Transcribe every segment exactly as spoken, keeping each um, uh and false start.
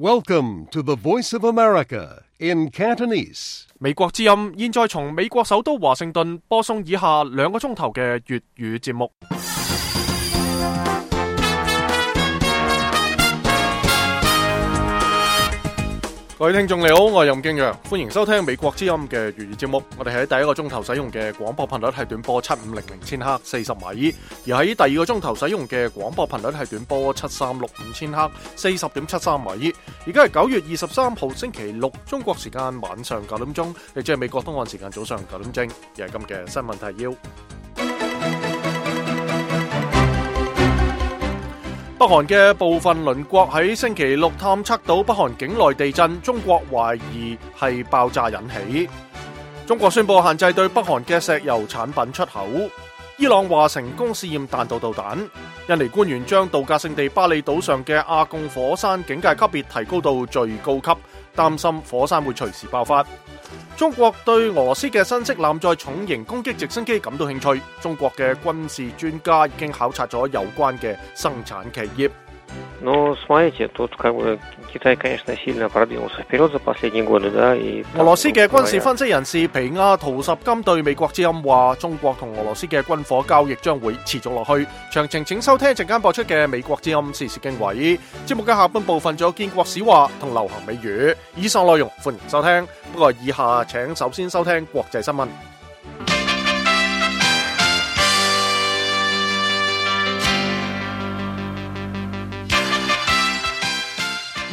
Welcome to the Voice of America in Cantonese. 美國之音現在從美國首都華盛頓播送以下兩個鐘頭嘅粵語節目。各位聽眾你好，我係任敬陽，歡迎收聽美國之音嘅粵語節目。我哋喺第一個鐘頭使用嘅廣播頻率係短波七五零零千赫四十米，而喺第二個鐘頭使用嘅廣播頻率係短波七三六五千赫四十點七三米。而家係九月二十三號星期六，中國時間晚上九點鐘，亦即係美國東岸時間早上九點正。而係今嘅新聞提要。北韓嘅部分鄰國喺星期六探測到北韓境內地震，中國懷疑係爆炸引起。中國宣布限制對北韓嘅石油產品出口。伊朗話成功試驗彈道導彈。印尼官員將度假勝地巴厘島上嘅阿貢火山警戒級別提高到最高級，擔心火山會隨時爆發。中國對俄羅斯嘅新式艦載重型攻擊直升機感到興趣，中國嘅軍事專家已經考察咗有關嘅生產企業。Но смотрите, тут как бы Китай, конечно, сильно продвинулся вперед за последние годы, да, и 俄羅斯嘅軍事分析人士皮亞圖什金對美國之音話，中國同俄羅斯嘅軍火交易將會持續落去。詳情請收聽陣間播出嘅美國之音時事經緯。節目嘅下半部分仲有建國史話同流行美語。以上內容歡迎收聽，不過以下請首先收聽國際新聞。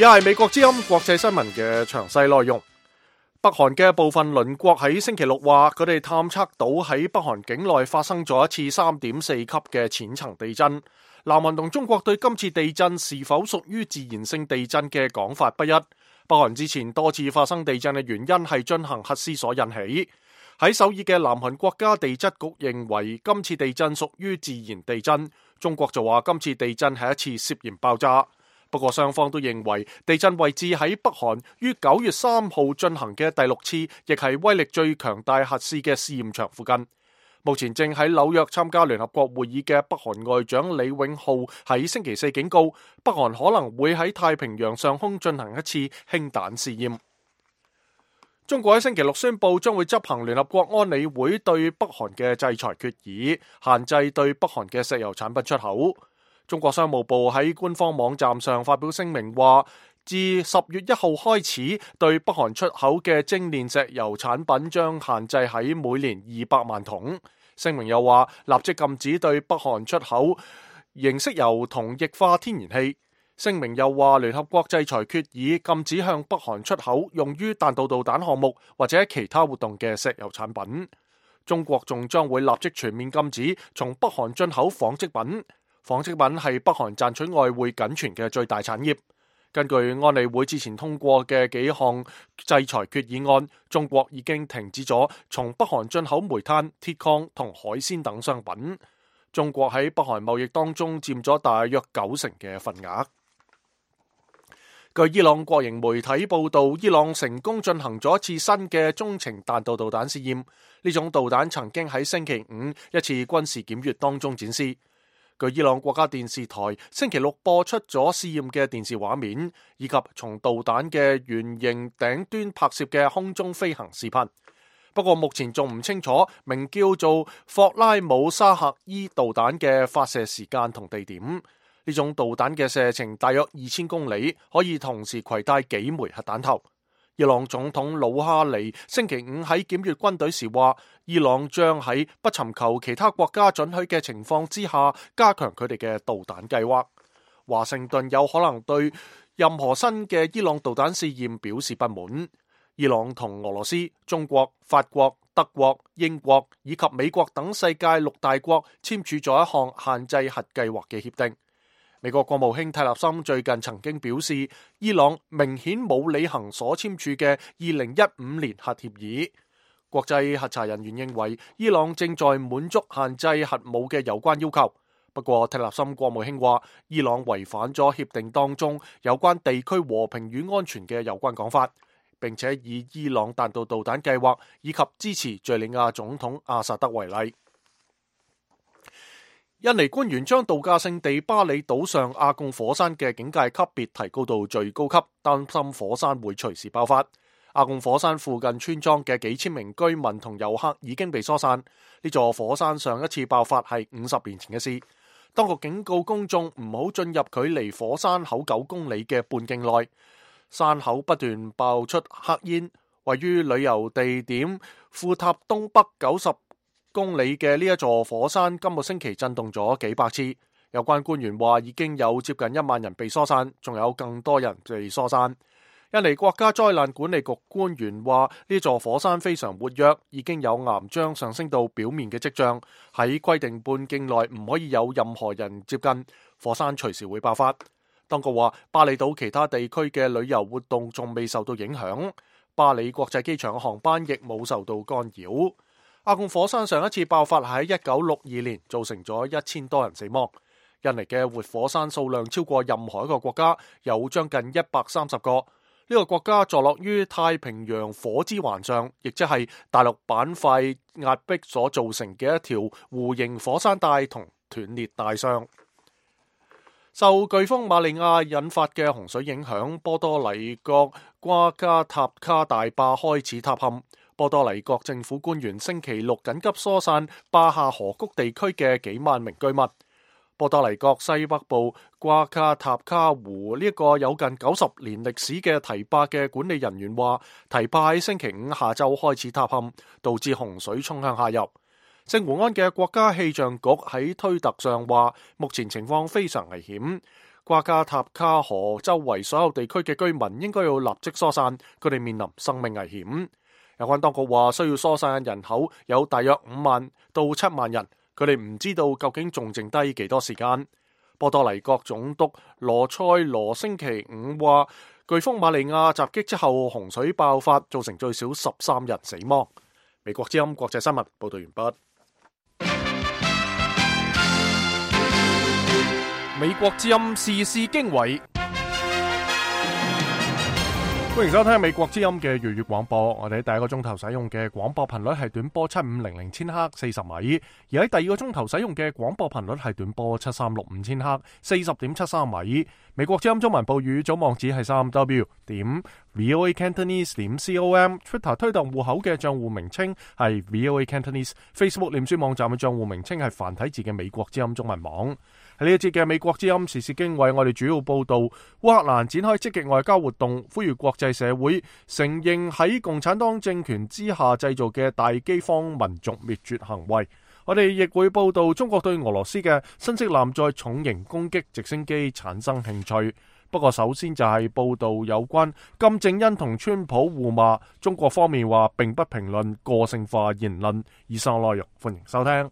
而係美國之音國際新聞嘅詳細內容。北韓嘅部分鄰國喺星期六話，佢哋探測到喺北韓境內發生咗一次三點四級嘅淺層地震。南韓同中國對今次地震是否屬於自然性地震嘅講法不一。北韓之前多次發生地震嘅原因係進行核試所引起。喺首爾嘅南韓國家地質局認為今次地震屬於自然地震，中國就話今次地震係一次涉嫌爆炸。不過雙方都認為地震位置喺北韓於九月三號進行嘅第六次，亦係威力最強大核試嘅試驗場附近。目前正喺紐約參加聯合國會議嘅北韓外長李永浩喺星期四警告，北韓可能會喺太平洋上空進行一次氫彈試驗。中國喺星期六宣布將會執行聯合國安理會對北韓嘅制裁決議，限制對北韓嘅石油產品出口。中國商務部喺官方網站上發表聲明話，自十月一號開始，對北韓出口嘅精煉石油產品將限制喺每年二百萬桶。聲明又話，立即禁止對北韓出口凝色油同液化天然氣。聲明又話，聯合國制裁決議禁止向北韓出口用於彈道導彈項目或者其他活動嘅石油產品。中國仲將會立即全面禁止從北韓進口紡織品。紡織品係北韓賺取外匯僅存嘅最大產業。根據安理會之前通過嘅幾項制裁決議案，中國已經停止咗從北韓進口煤炭、鐵礦同海鮮等商品。中國喺北韓貿易當中佔咗大約九成嘅份額。據伊朗國營媒體報道，伊朗成功進行咗一次新嘅中程彈道導彈試驗。呢種導彈曾經喺星期五一次軍事檢閱當中展示。據伊朗國家電視台星期六播出咗試驗嘅電視畫面，以及從導彈嘅圓形頂端拍攝嘅空中飛行視頻。不過目前仲唔清楚名叫做霍拉姆沙赫伊導彈嘅發射時間同地點。呢種導彈嘅射程大約二千公里，可以同時攜帶幾枚核彈頭。伊朗總統魯哈尼星期五喺檢閱軍隊時話，伊朗將喺不尋求其他國家准許嘅情況之下，加強佢哋嘅導彈計劃。華盛頓有可能對任何新嘅伊朗導彈試驗表示不滿。伊朗同俄羅斯、中國、法國、德國、英國以及美國等世界六大國簽署咗一項限制核計劃嘅協定。美國國務卿蒂勒森最近曾經表示，伊朗明顯冇履行所簽署嘅二零一五年核協議。國際核查人員認為，伊朗正在滿足限制核武嘅有關要求。不過，蒂勒森國務卿話，伊朗違反咗協定當中有關地區和平與安全嘅有關講法，並且以伊朗彈道導彈計劃以及支持敘利亞總統阿薩德為例。印尼官員將度假勝地巴里島上阿貢火山嘅警戒級別提高到最高級，擔心火山會隨時爆發。阿貢火山附近村莊嘅幾千名居民同遊客已經被疏散。呢座火山上一次爆發係五十年前嘅事。當局警告公眾唔好進入距離火山口九公里嘅半徑內。山口不斷爆出黑煙，位於旅遊地點庫塔東北九十公里嘅呢一座火山今個星期震動咗幾百次。有關官員話已經有接近一萬人被疏散，仲有更多人被疏散。印尼國家災難管理局官員話呢座火山非常活躍，已經有岩漿上升到表面嘅跡象，喺規定半徑內唔可以有任何人接近，火山隨時會爆發。當局話巴里島其他地區嘅旅遊活動仲未受到影響，巴里國際機場嘅航班亦冇受到干擾。阿貢火山上一次爆發喺一九六二年，造成咗一千多人死亡。印尼嘅活火山數量超過任何一個國家，有將近一百三十個。呢、這個國家坐落於太平洋火之環上，亦即係大陸板塊壓迫所造成嘅一條弧形火山帶同斷裂帶上。受颶風瑪利亞引發嘅洪水影響，波多黎各瓜加塔卡大壩開始塌陷。波多黎各政府官員星期六緊急疏散壩下河谷地區嘅幾萬名居民。波多黎各西北部瓜卡塔卡湖呢一個有近九十年歷史嘅堤壩嘅管理人員話，堤壩喺星期五下晝開始塌陷，導致洪水衝向下游。聖胡安嘅國家氣象局喺推特上話，目前情況非常危險，瓜加塔卡河周圍所有地區嘅居民應該要立即疏散，佢哋面臨生命危險。有關當局話，需要疏散嘅人口有大約五萬到七萬人，佢哋唔知道究竟仲剩低幾多時間。波多黎各總督羅塞羅星期五話，颶風瑪利亞襲擊之後，洪水爆發，造成最少十三人死亡。美國之音國際新聞報道完畢。美國之音時事經緯，歡迎收聽美國之音嘅粵語廣播。我哋喺第一個鐘頭使用嘅廣播頻率係短波七五零零千赫四十米，而喺第二個鐘頭使用嘅廣播頻率係短波七三六五千赫四十點七三米。美國之音中文報語總網址係三 w 點 voa cantonese 點 com，Twitter 推動戶口嘅賬戶名稱係 voa cantonese，Facebook 臉書網站嘅賬戶名稱係繁體字嘅美國之音中文網。喺呢一節嘅美國之音時事經緯，我哋主要報道烏克蘭展開積極外交活動，呼籲國際社會承認喺共產黨政權之下製造嘅大饑荒民族滅絕行為。我哋亦會報道中國對俄羅斯嘅新式艦載重型攻擊直升機產生興趣。不過首先就係報道有關金正恩同川普互罵，中國方面話並不評論個性化言論。以上內容歡迎收聽。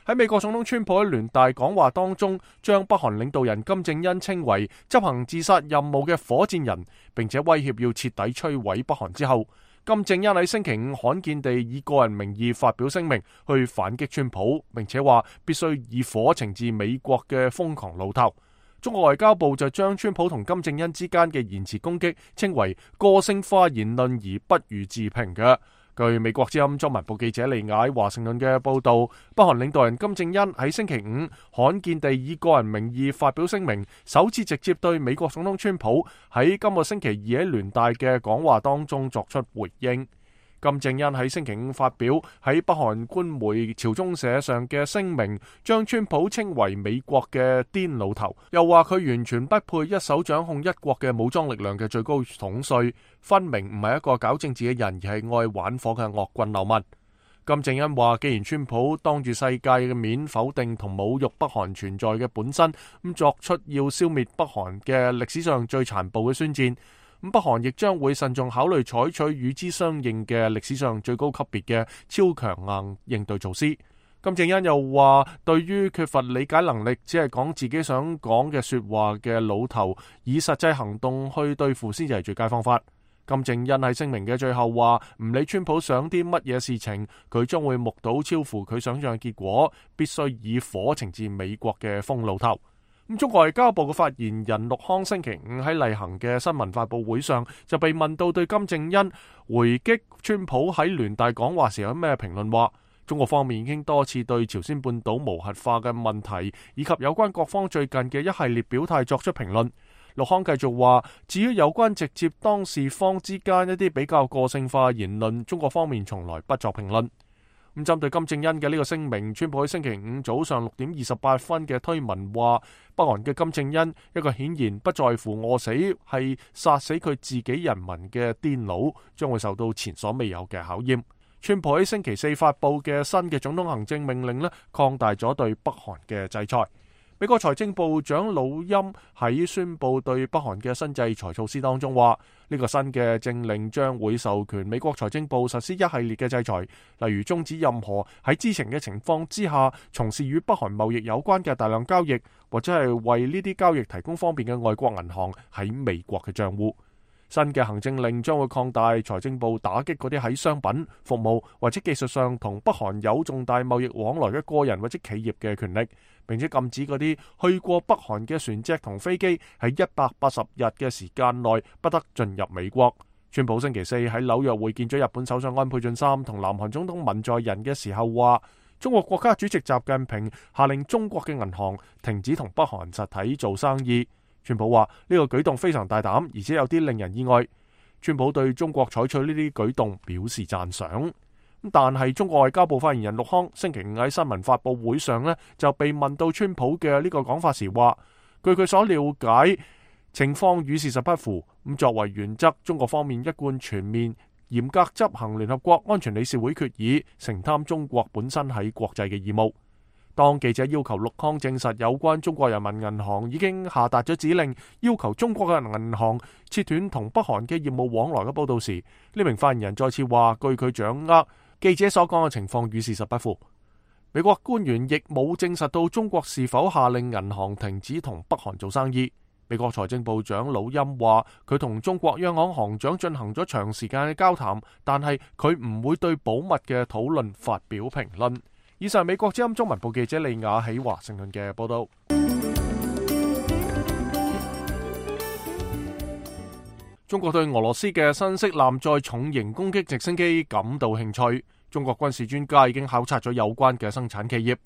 喺美國總統川普喺聯大講話當中，將北韓領導人金正恩稱為執行自殺任務嘅火箭人，並且威脅要徹底摧毀北韓之後，金正恩喺星期五罕見地以個人名義發表聲明去反擊川普，並且話必須以火懲治美國嘅瘋狂老頭。中國外交部就將川普同金正恩之間嘅言辭攻擊稱為個性化言論而不予置評嘅。據美國之音中文部記者利雅華盛頓嘅報道，北韓領導人金正恩喺星期五罕見地以個人名義發表聲明，首次直接對美國總統川普喺今個星期二喺聯大嘅講話當中作出回應。金正恩喺星期五發表喺北韓官媒朝中社上嘅聲明，將川普稱為美國嘅癲老頭，又話佢完全不配一手掌控一國嘅武裝力量嘅最高統帥，分明唔係一個搞政治嘅人，而係愛玩火嘅惡棍流氓。金正恩話，既然川普當住世界嘅面否定同侮辱北韓存在嘅本身，咁作出要消滅北韓嘅歷史上最殘暴嘅宣戰，咁北韓亦將會慎重考慮採取與之相應嘅歷史上最高級別嘅超強硬應對措施。金正恩又話，對於缺乏理解能力，只係講自己想講嘅說話嘅老頭，以實際行動去對付先至係最佳方法。金正恩喺聲明嘅最後話，唔理川普想啲乜嘢事情，佢將會目睹超乎佢想象嘅結果，必須以火懲治美國嘅瘋老頭。咁中國外交部嘅發言人陸康星期五喺例行嘅新聞發佈會上就被問到對金正恩回擊川普喺聯大講話時有咩評論，話中國方面已經多次對朝鮮半島無核化嘅問題以及有關各方最近嘅一系列表態作出評論。陸康繼續話，至於有關直接當事方之間一啲比較個性化言論，中國方面從來不作評論。咁針對金正恩嘅呢個聲明，川普喺星期五早上六點二十八分嘅推文話，北韓嘅金正恩一個顯然不在乎餓死，係殺死佢自己人民嘅癲佬，將會受到前所未有嘅考驗。川普喺星期四發佈嘅新嘅總統行政命令呢，擴大咗對北韓嘅制裁。美國財政部長魯欽喺宣布對北韓嘅新制裁措施當中話，呢個新嘅政令將會授權美國財政部實施一系列嘅制裁，例如終止任何喺知情嘅情況之下從事與北韓貿易有關嘅大量交易，或者係為呢啲交易提供方便嘅外國銀行喺美國嘅賬戶。新嘅行政令將會擴大財政部打擊嗰啲喺商品、服務或者技術上同北韓有重大貿易往來嘅個人或者企業嘅權力，並且禁止嗰啲去過北韓嘅船隻同飛機喺一百八十日嘅時間內不得進入美國。川普星期四喺紐約會見咗日本首相安倍晉三同南韓總統文在寅嘅時候話，中國國家主席習近平下令中國嘅銀行停止同北韓實體做生意。川普話呢個舉動非常大膽，而且有啲令人意外。川普對中國採取呢啲舉動表示讚賞。但係中國外交部發言人陸康星期五喺新聞發佈會上呢，就被問到川普嘅呢個講法時話，據佢所了解，情況與事實不符。咁作為原則，中國方面一貫全面嚴格執行聯合國安全理事會決議，承擔中國本身喺國際嘅義務。當記者要求陸康證實有關中國人民銀行已經下達咗指令，要求中國嘅銀行切斷同北韓嘅業務往來嘅報道時，呢名發言人再次話，據佢掌握，記者所講嘅情況與事實不符。美國官員亦冇證實到中國是否下令銀行停止同北韓做生意。美國財政部長魯欽話，佢同中國央行行長進行咗長時間嘅交談，但係佢唔會對保密嘅討論發表評論。以上美國之音中文部記者李雅喺華盛頓嘅報道。中國對俄羅斯嘅新式艦載重型攻擊直升機感到興趣。中國軍事專家已經考察咗有關嘅生產企業。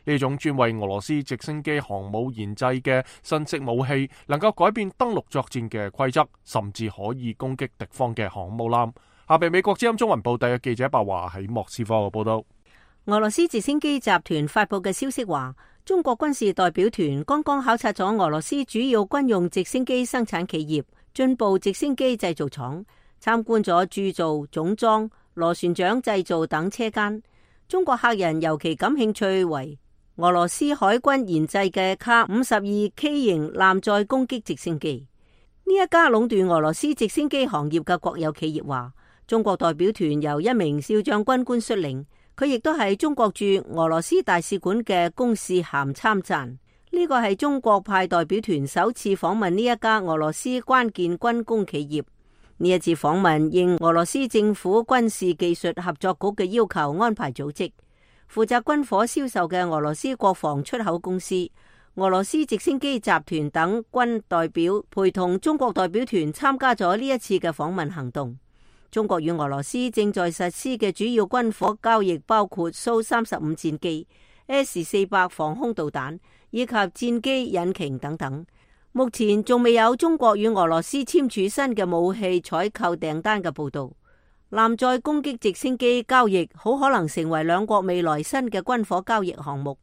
呢種專為俄羅斯直升機航母研製嘅新式武器，能夠改變登陸作戰嘅規則，甚至可以攻擊敵方嘅航母艦。下邊美國之音中文部特約記者白華喺莫斯科嘅報道。俄羅斯直升機集團發佈嘅消息話，中國軍事代表團剛剛考察咗俄羅斯主要軍用直升機生產企業進步直升機製造廠，參觀咗鑄造、總裝、螺旋槳製造等車間。中國客人尤其感興趣為俄羅斯海軍研製嘅卡五十二 K 型艦載攻擊直升機。呢一家壟斷俄羅斯直升機行業嘅國有企業話，中國代表團由一名少將軍官率領。佢亦都係中國駐俄羅斯大使館嘅公使函參贊。呢個係中國派代表團首次訪問呢一家俄羅斯關鍵軍工企業。呢一次訪問應俄羅斯政府軍事技術合作局嘅要求安排組織，負責軍火銷售嘅俄羅斯國防出口公司、俄羅斯直升機集團等軍代表陪同中國代表團參加咗呢一次嘅訪問行動。中國與俄羅斯正在實施嘅主要軍火交易包括蘇三十五戰機、S 四百防空導彈以及戰機引擎等等。目前仲未有中國與俄羅斯簽署新嘅武器採購訂單嘅報道。艦載攻擊直升機交易好可能成為兩國未來新嘅軍火交易項目，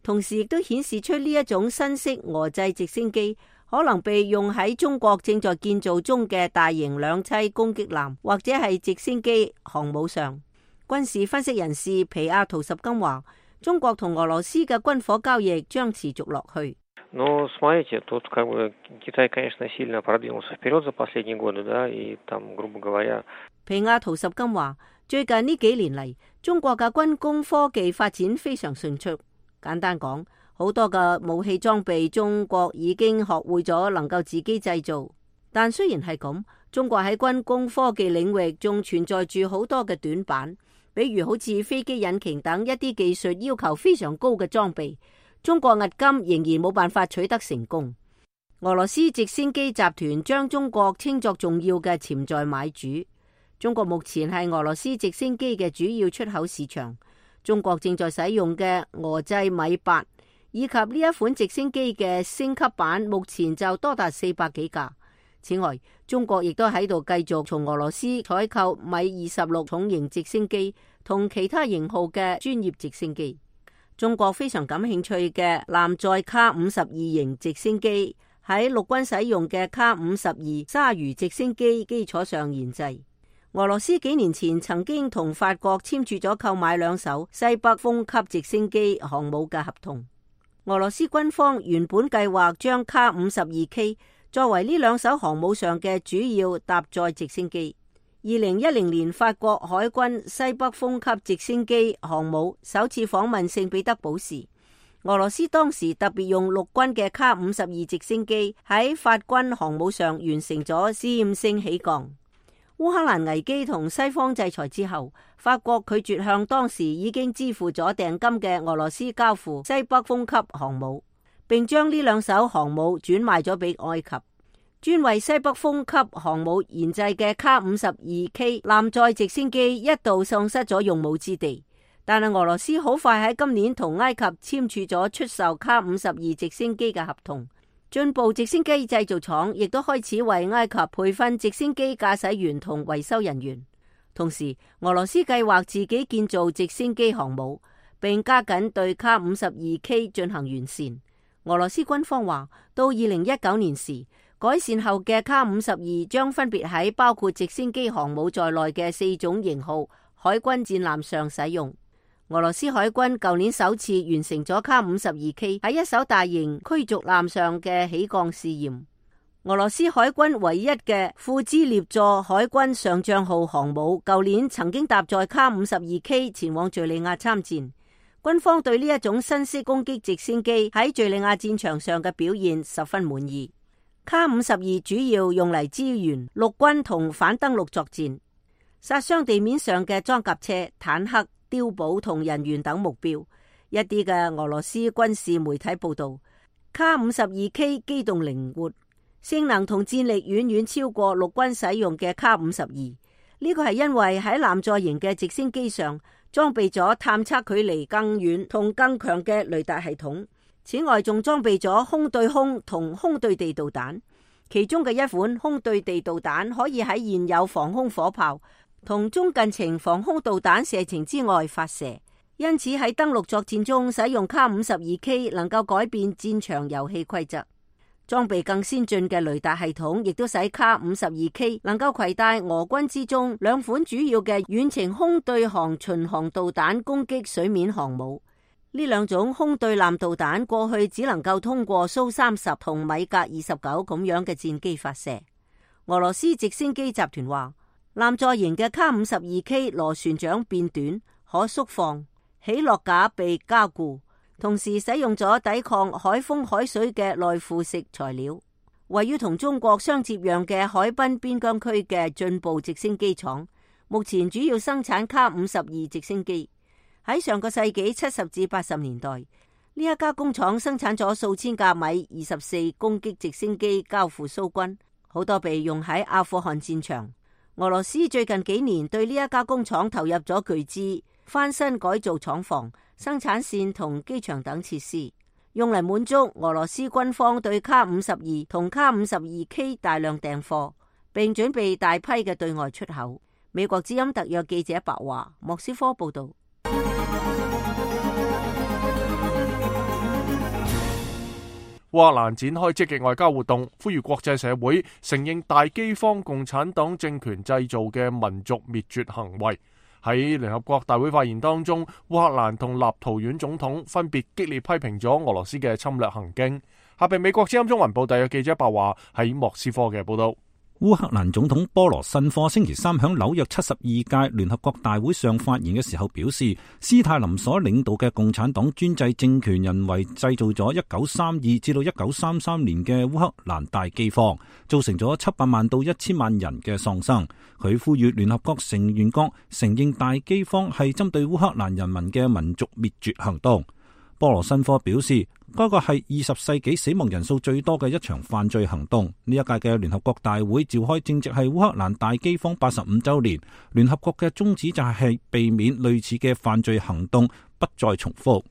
同時亦都顯示出呢一種新式俄製直升機可能被用喺中國正在建造中嘅大型兩棲攻擊艦或者係直升機航母上。軍事分析人士皮亞圖什金話，中國同俄羅斯嘅軍火交易將持續落去。Но смотрите, тут как бы Китай, конечно, сильно продвинулся вперед за последние годы, да, и там, грубо говоря。皮亞圖什金話，最近呢幾年嚟，中國嘅軍工科技發展非常迅速。簡單講，好多嘅武器裝備，中國已經學會咗能夠自己製造。但雖然係咁，中國喺軍工科技領域仲存在住好多嘅短板，比如好似飛機引擎等一啲技術要求非常高嘅裝備，中國迄今仍然冇辦法取得成功。俄羅斯直升機集團將中國稱作重要嘅潛在買主。中國目前係俄羅斯直升機嘅主要出口市場。中國正在使用嘅俄製米八以及呢一款直升機嘅升級版，目前就多達四百幾架。此外，中國亦都喺度繼續從俄羅斯採購米二十六重型直升機同其他型號嘅專業直升機。中國非常感興趣嘅艦載卡五十二型直升機喺陸軍使用嘅卡五十二鯊魚直升機基礎上研製。俄羅斯幾年前曾經同法國簽署咗購買兩艘西北風級直升機航母嘅合同。俄羅斯軍方原本計劃將卡五十二 K 作為呢兩艘航母上嘅主要搭載直升機。二零一零年，法國海軍西北風級直升機航母首次訪問聖彼得堡時，俄羅斯當時特別用陸軍嘅卡五十二直升機喺法軍航母上完成咗試驗性起降。烏克蘭危機同西方制裁之後，法國拒絕向當時已經支付咗訂金嘅俄羅斯交付西北風級航母，並將呢兩艘航母轉賣咗俾埃及。專為西北風級航母研製嘅卡五十二 K 艦載直升機一度喪失咗用武之地，但係俄羅斯好快喺今年同埃及簽署咗出售卡五十二直升機嘅合同。進步直升機製造廠亦都開始為埃及培訓直升機駕駛員同維修人員。同時，俄羅斯計劃自己建造直升機航母，並加緊對卡五十二 K 進行完善。俄羅斯軍方話，到二零一九年時，改善後嘅卡五十二將分別喺包括直升機航母在內嘅四種型號海軍戰艦上使用。俄羅斯海軍舊年首次完成咗卡五十二 K 喺一艘大型驅逐艦上嘅起降試驗。俄羅斯海軍唯一嘅庫茲列座海軍上將號航母舊年曾經搭載卡五十二 K 前往敘利亞參戰。軍方對呢一種新式攻擊直升機喺敘利亞戰場上嘅表現十分滿意。卡五十二主要用嚟支援陸軍同反登陸作戰，殺傷地面上嘅裝甲車、坦克、碉堡同人員等目標。一啲嘅俄羅斯軍事媒體報道，卡五十二 K 機動靈活，性能同戰力遠遠超過陸軍使用嘅卡五十二。呢個係因為喺艦載型嘅直升機上裝備咗探測距離更遠同更強嘅雷達系統。此外，仲裝備咗空對空同空對地導彈，其中嘅一款空對地導彈可以喺現有防空火炮同中近程防空導彈射程之外發射，因此喺登陸作戰中使用卡五十二 K 能夠改變戰場遊戲規則。裝備更先進嘅雷達系統亦都使卡五十二 K 能夠攜帶俄軍之中兩款主要嘅遠程空對航巡航導彈攻擊水面航母。呢兩種空對艦導彈過去只能夠通過蘇三十同米格二十九咁樣嘅戰機發射。俄羅斯直升機集團話，艦載型嘅卡五十二 K 螺旋槳變短，可縮放，起落架被加固，同時使用咗抵抗海風海水嘅內附式材料。位於同中國相接壤嘅海濱邊疆區嘅進步直升機廠，目前主要生產卡五十二直升機。喺上個世紀七十至八十年代，呢一家工廠生產咗數千架米二十四攻擊直升機交付蘇軍，好多被用喺阿富汗戰場。俄羅斯最近幾年對呢一家工廠投入咗巨資，翻新改造廠房、生產線同機場等設施，用嚟滿足俄羅斯軍方對卡五十二同卡五十二 K 大量訂貨，並準備大批嘅對外出口。美國之音特約記者白華，莫斯科報道。烏克蘭展開積極外交活動，呼籲國際社會承認大饑荒共產黨政權製造嘅民族滅絕行為。喺聯合國大會發言當中，烏克蘭同立陶宛總統分別激烈批評咗俄羅斯嘅侵略行徑。下邊美國之音中文部特約記者白華喺莫斯科嘅報道。烏克蘭總統波羅申科星期三響紐約七十二屆聯合國大會上發言嘅時候表示，斯大林所領導嘅共產黨專制政權人為製造咗一九三二至到一九三三年嘅烏克蘭大饑荒，造成咗七百萬到一千萬人嘅喪生。佢呼籲聯合國成員國承認大饑荒係針對烏克蘭人民嘅民族滅絕行動。波羅申科表示，嗰個係二十世紀死亡人數最多嘅一場犯罪行動。呢一屆嘅聯合國大會召開正值係烏克蘭大饑荒八十五週年，聯合國嘅宗旨就係避免類似嘅犯罪行動不再重複。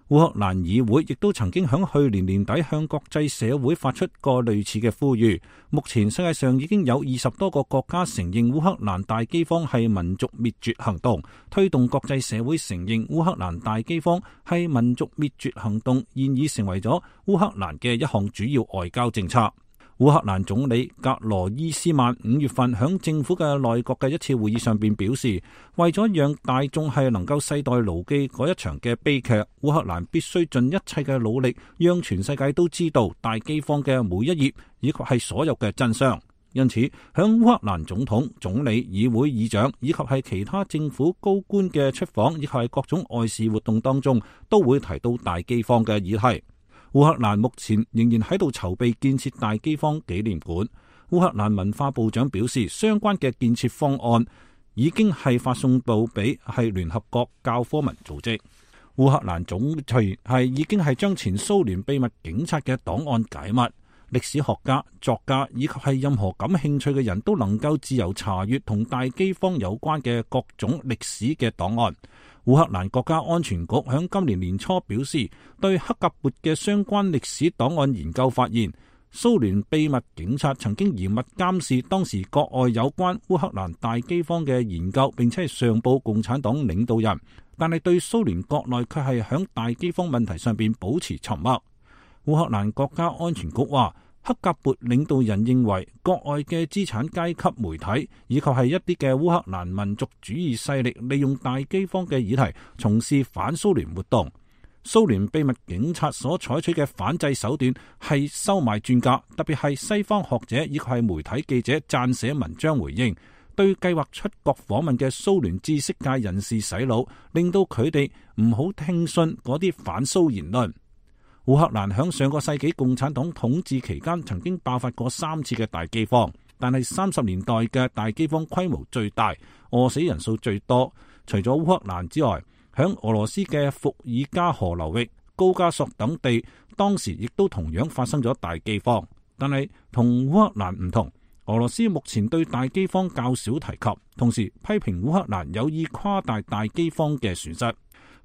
烏克蘭議會亦都曾經響去年年底向國際社會發出過類似嘅呼籲。目前世界上已經有二十多個國家承認烏克蘭大饑荒係民族滅絕行動，推動國際社會承認烏克蘭大饑荒係民族滅絕行動，現已成為咗烏克蘭嘅一項主要外交政策。烏克蘭總理格羅伊斯曼五月份響政府嘅內閣嘅一次會議上邊表示，為咗讓大眾係能夠世代牢記嗰一場嘅悲劇，烏克蘭必須盡一切嘅努力，讓全世界都知道大饑荒嘅每一頁以及係所有嘅真相。因此，響烏克蘭總統、總理、議會議長以及係其他政府高官嘅出訪以及係各種外事活動當中，都會提到大饑荒嘅議題。烏克蘭目前仍然喺度籌備建設大饑荒紀念館。烏克蘭文化部長表示，相關嘅建設方案已經係發送到俾係聯合國教科文組織。烏克蘭總隨係已經係將前蘇聯秘密警察嘅檔案解密，歷史學家、作家以及係任何感興趣嘅人都能夠自由查閱同大饑荒有關嘅各種歷史嘅檔案。烏克蘭國家安全局響今年年初表示，對克格勃嘅相關歷史檔案研究發現，蘇聯秘密警察曾經嚴密監視當時國外有關烏克蘭大饑荒嘅研究，並且係上報共產黨領導人，但係對蘇聯國內卻係響大饑荒問題上邊保持沉默。烏克蘭國家安全局話，克格勃領導人認為國外嘅資產階級媒體以及係一啲嘅烏克蘭民族主義勢力利用大饑荒嘅議題從事反蘇聯活動。蘇聯秘密警察所採取嘅反制手段係收買專家，特別係西方學者以及係媒體記者撰寫文章回應，對計劃出國訪問嘅蘇聯知識界人士洗腦，令到佢哋唔好聽信嗰啲反蘇言論。烏克蘭響上個世紀共產黨統治期間曾經爆發過三次嘅大饑荒，但係三十年代嘅大饑荒規模最大，餓死人數最多。除咗烏克蘭之外，響俄羅斯嘅伏爾加河流域、高加索等地，當時亦都同樣發生咗大饑荒。但係同烏克蘭唔同，俄羅斯目前對大饑荒較少提及，同時批評烏克蘭有意誇大大饑荒嘅損失。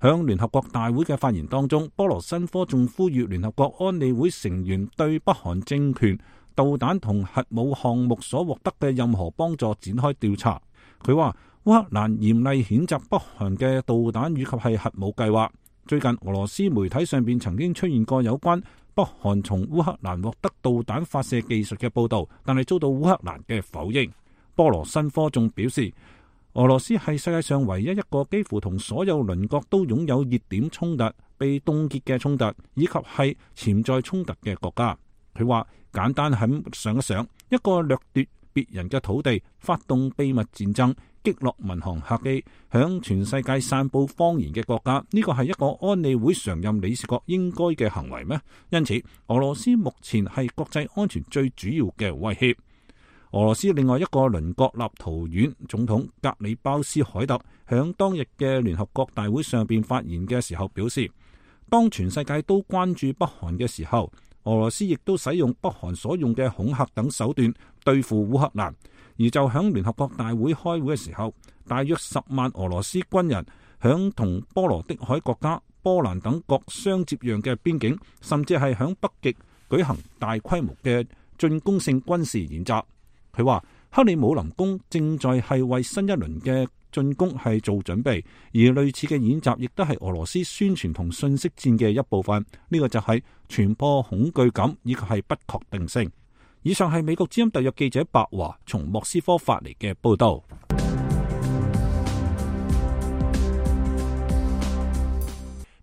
響聯合國大會嘅發言當中，波羅申科仲呼籲聯合國安理會成員對北韓政權導彈同核武項目所獲得嘅任何幫助展開調查。佢話烏克蘭嚴厲譴責北韓嘅導彈以及係核武計劃。最近俄羅斯媒體上邊曾經出現過有關北韓從烏克蘭獲得導彈發射技術嘅報道，但係遭到烏克蘭嘅否認。波羅申科仲表示，俄羅斯係世界上唯一一個幾乎同所有鄰國都擁有熱點衝突、被凍結嘅衝突，以及係潛在衝突嘅國家。佢話簡單咁想一想，一個掠奪別人嘅土地、發動秘密戰爭、擊落民航客機、向全世界散佈謊言嘅國家，呢個係一個安理會常任理事國應該嘅行為咩？因此，俄羅斯目前係國際安全最主要嘅威脅。俄羅斯另外一個鄰國立陶宛總統格里鮑斯凱特響當日嘅聯合國大會上邊發言嘅時候表示，當全世界都關注北韓嘅時候，俄羅斯亦都使用北韓所用嘅恐嚇等手段對付烏克蘭。而就響聯合國大會開會嘅時候，大約十萬俄羅斯軍人響同波羅的海國家波蘭等國相接壤嘅邊境，甚至係響北極舉行大規模嘅進攻性軍事演習。佢話克里姆林宮正在係為新一輪嘅進攻係做準備，而類似嘅演習亦都係俄羅斯宣傳同信息戰嘅一部分。呢個就係傳播恐懼感以及係不確定性。以上係美國之音特約記者白華從莫斯科發嚟嘅報道。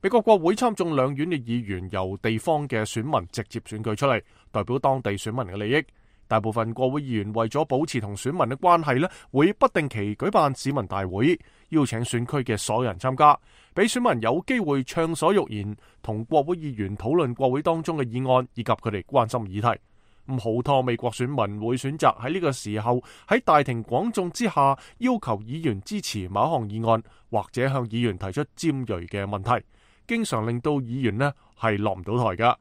美國國會參眾兩院嘅議員由地方嘅選民直接選舉出嚟，代表當地選民嘅利益。大部分國會議員為咗保持同選民嘅關係呢，會不定期舉辦市民大會，邀請選區嘅所有人參加，俾選民有機會暢所欲言，同國會議員討論國會當中嘅議案以及佢哋關心議題。咁好多美國選民會選擇喺呢個時候喺大庭廣眾之下要求議員支持某一項議案，或者向議員提出尖銳嘅問題。經常令到議員呢係落唔到台噶。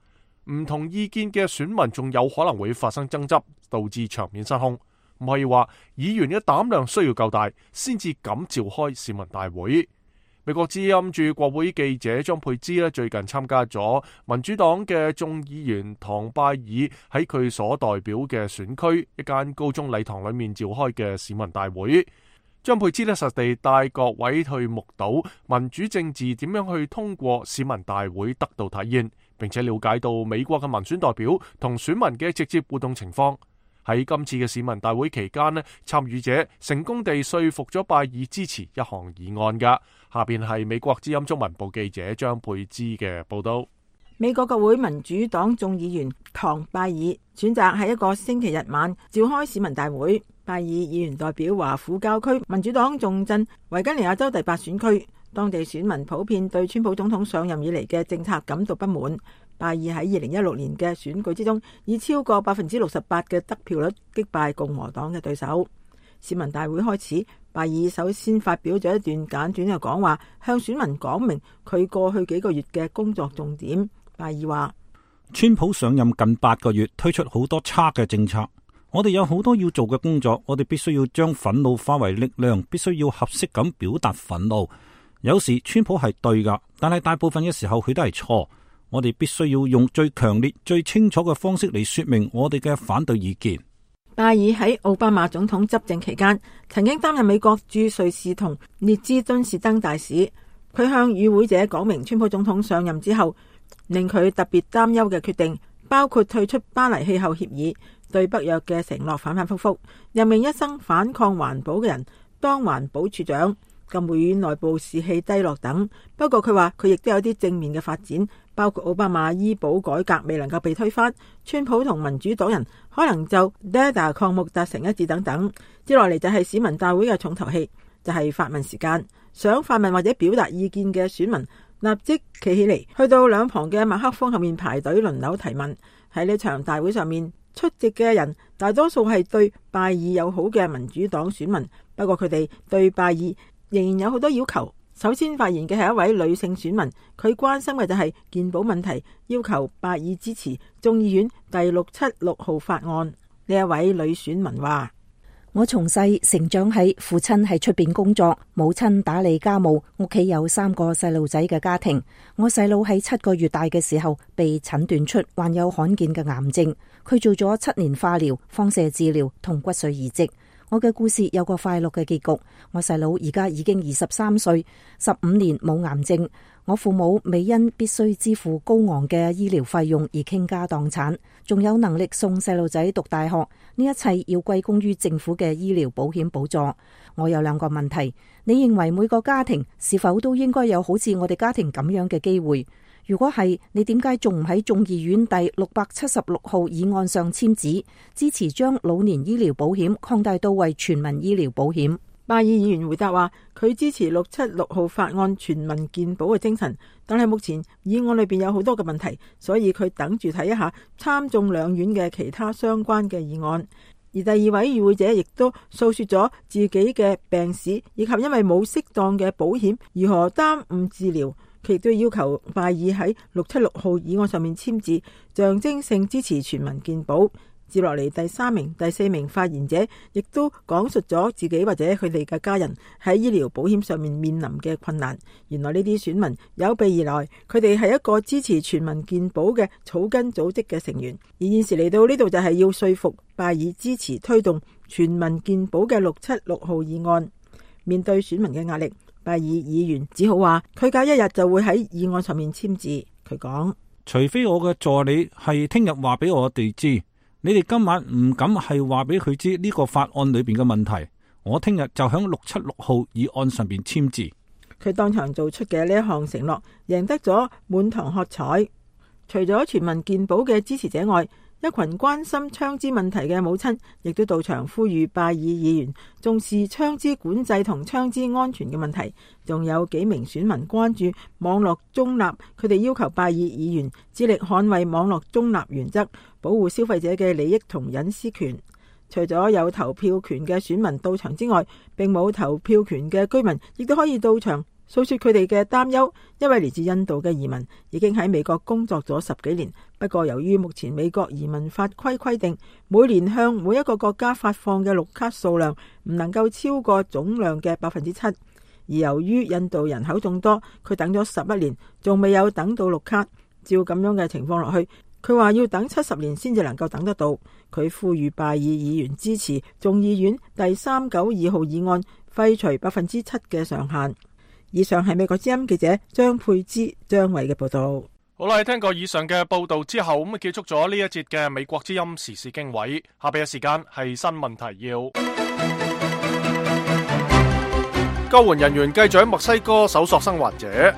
唔同意見嘅選民仲有可能會發生爭執，導致場面失控。唔可以話議員嘅膽量需要夠大，先至敢召開市民大會。美國之音駐國會記者張佩芝咧，最近參加咗民主黨嘅眾議員唐拜爾喺佢所代表嘅選區一間高中禮堂裏面召開嘅市民大會。張佩芝咧實地帶各位去目睹民主政治點樣去通過市民大會得到體現，並且了解到美國嘅民選代表同選民嘅直接互動情況。喺今次嘅市民大會期間咧，參與者成功地說服咗拜爾支持一項議案噶。下邊係美國之音中文部記者張佩芝嘅報道。美國國會民主黨眾議員唐拜爾選擇喺一個星期日晚召開市民大會。拜爾議員代表華府郊區民主黨重鎮維吉尼亞州第八選區，當地選民普遍對川普總統上任以嚟嘅政策感到不滿。拜爾喺二零一六年嘅選舉之中，以超過百分之六十八嘅得票率擊敗共和黨嘅對手。市民大會開始，拜爾首先發表咗一段簡短嘅講話，向選民講明佢過去幾個月嘅工作重點。拜爾話：川普上任近八個月，推出好多差嘅政策，我哋有好多要做嘅工作，我哋必須要將憤怒化為力量，必須要合適咁表達憤怒。有時川普係對噶，但係大部分嘅時候佢都係錯。我哋必須要用最強烈、最清楚嘅方式嚟說明我哋嘅反對意見。拜爾喺奧巴馬總統執政期間，曾經擔任美國駐瑞士同列支敦士登大使。佢向與會者講明，川普總統上任之後，令佢特別擔憂嘅決定，包括退出巴黎氣候協議、對北約嘅承諾反反复复、任命一生反抗環保嘅人當環保處長、禁會內部士氣低落等。不過佢話佢亦都有啲正面嘅發展，包括奧巴馬醫保改革未能夠被推翻，川普同民主黨人可能就 D A D A 項目達成一致等等。接落嚟就係市民大會嘅重頭戲，就係發問時間。想發問或者表達意見嘅選民立即企起嚟，去到兩旁嘅麥克風後面排隊輪流提問。喺呢場大會上面出席嘅人大多數係對拜爾友好嘅民主黨選民，不過佢哋對拜爾仍然有好多要求。首先發言嘅係一位女性選民，佢關心嘅就係健保問題，要求拜爾支持眾議院第六七六號法案。呢一位女選民話：我從細成長喺父親喺出邊工作，母親打理家務，屋企有三個細路仔嘅家庭。我細佬喺七個月大嘅時候被診斷出患有罕見嘅癌症，佢做咗七年化療、放射治療同骨髓移植。我嘅故事有個快樂嘅結局。我細佬而家已經二十三歲，十五年冇癌症。我父母未因必須支付高昂嘅醫療費用而傾家蕩產，仲有能力送細路仔讀大學。呢一切要歸功於政府嘅醫療保險補助。我有兩個問題，你認為每個家庭是否都應該有好似我哋家庭咁樣嘅機會？如果係，你點解仲唔喺眾議院第六百七十六號議案上簽字，支持將老年醫療保險擴大到為全民醫療保險？拜爾議員回答話，佢支持六七六號法案全民健保嘅精神，但係目前議案裏邊有好多嘅問題，所以佢等住睇一下參眾兩院嘅其他相關嘅議案。而第二位與會者亦都訴說咗自己嘅病史，以及因為冇適當嘅保險如何耽誤治療。佢亦都要求拜爾喺六七六號議案上面簽字，象徵性支持全民健保。接落嚟第三名、第四名發言者亦都講述咗自己或者佢哋嘅家人喺醫療保險上面面臨嘅困難。原來呢啲選民有備而來，佢哋係一個支持全民健保嘅草根組織嘅成員。而現時嚟到呢度就係要說服拜爾支持推動全民健保嘅六七六號議案。面對選民嘅壓力，拜爾議員只好話佢隔一日就會喺議案上面簽字。佢講：除非我嘅助理係聽日話俾我哋知，你哋今晚唔敢係話俾佢知呢個法案裏邊嘅問題，我聽日就響六七六號議案上邊簽字。佢當場做出嘅呢一項承諾，贏得咗滿堂喝彩。除咗全民健保嘅支持者外，一群關心槍支問題嘅母親亦都到場呼籲拜爾議員重視槍支管制同槍支安全嘅問題。仲有幾名選民關注網絡中立，佢哋要求拜爾議員致力捍衛網絡中立原則，保護消費者嘅利益同隱私權。除咗有投票權嘅選民到場之外，並冇投票權嘅居民亦都可以到場訴說佢哋嘅擔憂。一位嚟自印度嘅移民已經喺美國工作咗十幾年，不過由於目前美國移民法規規定，每年向每一個國家發放嘅綠卡數量唔能夠超過總量嘅百分之七。而由於印度人口眾多，佢等咗十一年，仲未有等到綠卡。照咁樣嘅情況落去，佢話要等七十年先至能夠等得到。佢呼籲拜爾議員支持眾議院第三九二號議案，廢除百分之七嘅上限。以上係美國之音記者張佩芝、張偉嘅報道。好啦，聽過以上嘅報道之後，咁結束咗呢一節嘅美國之音時事經緯。下邊嘅時間係新聞提要。救援人員繼續喺墨西哥搜索生還者。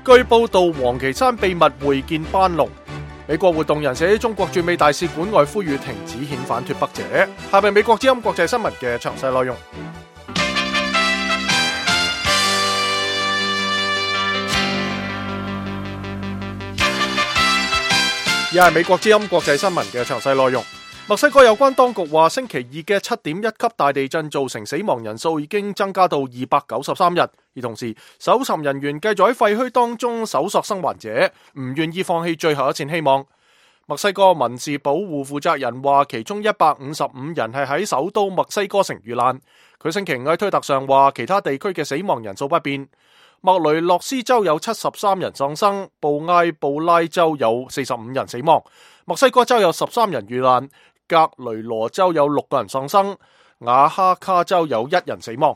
據報道，王岐山秘密會見班農。美國活動人士喺中國駐美大使館外呼籲停止遣返脫北者。下邊美國之音國際新聞嘅詳細內容。而係美國之音國際新聞嘅詳細內容。墨西哥有關當局話，星期二嘅七點一級大地震造成死亡人數已經增加到二百九十三人，而同時搜尋人員繼續喺廢墟當中搜索生還者，唔願意放棄最後一線希望。墨西哥民事保護負責人話，其中一百五十五人係喺首都墨西哥城遇難。佢星期五喺推特上話，其他地區嘅死亡人數不變。莫雷諾斯州有七十三人喪生，布埃布拉州有四十五人死亡，墨西哥州有十三人遇難，格雷羅州有六個人喪生，瓦哈卡州有一人死亡。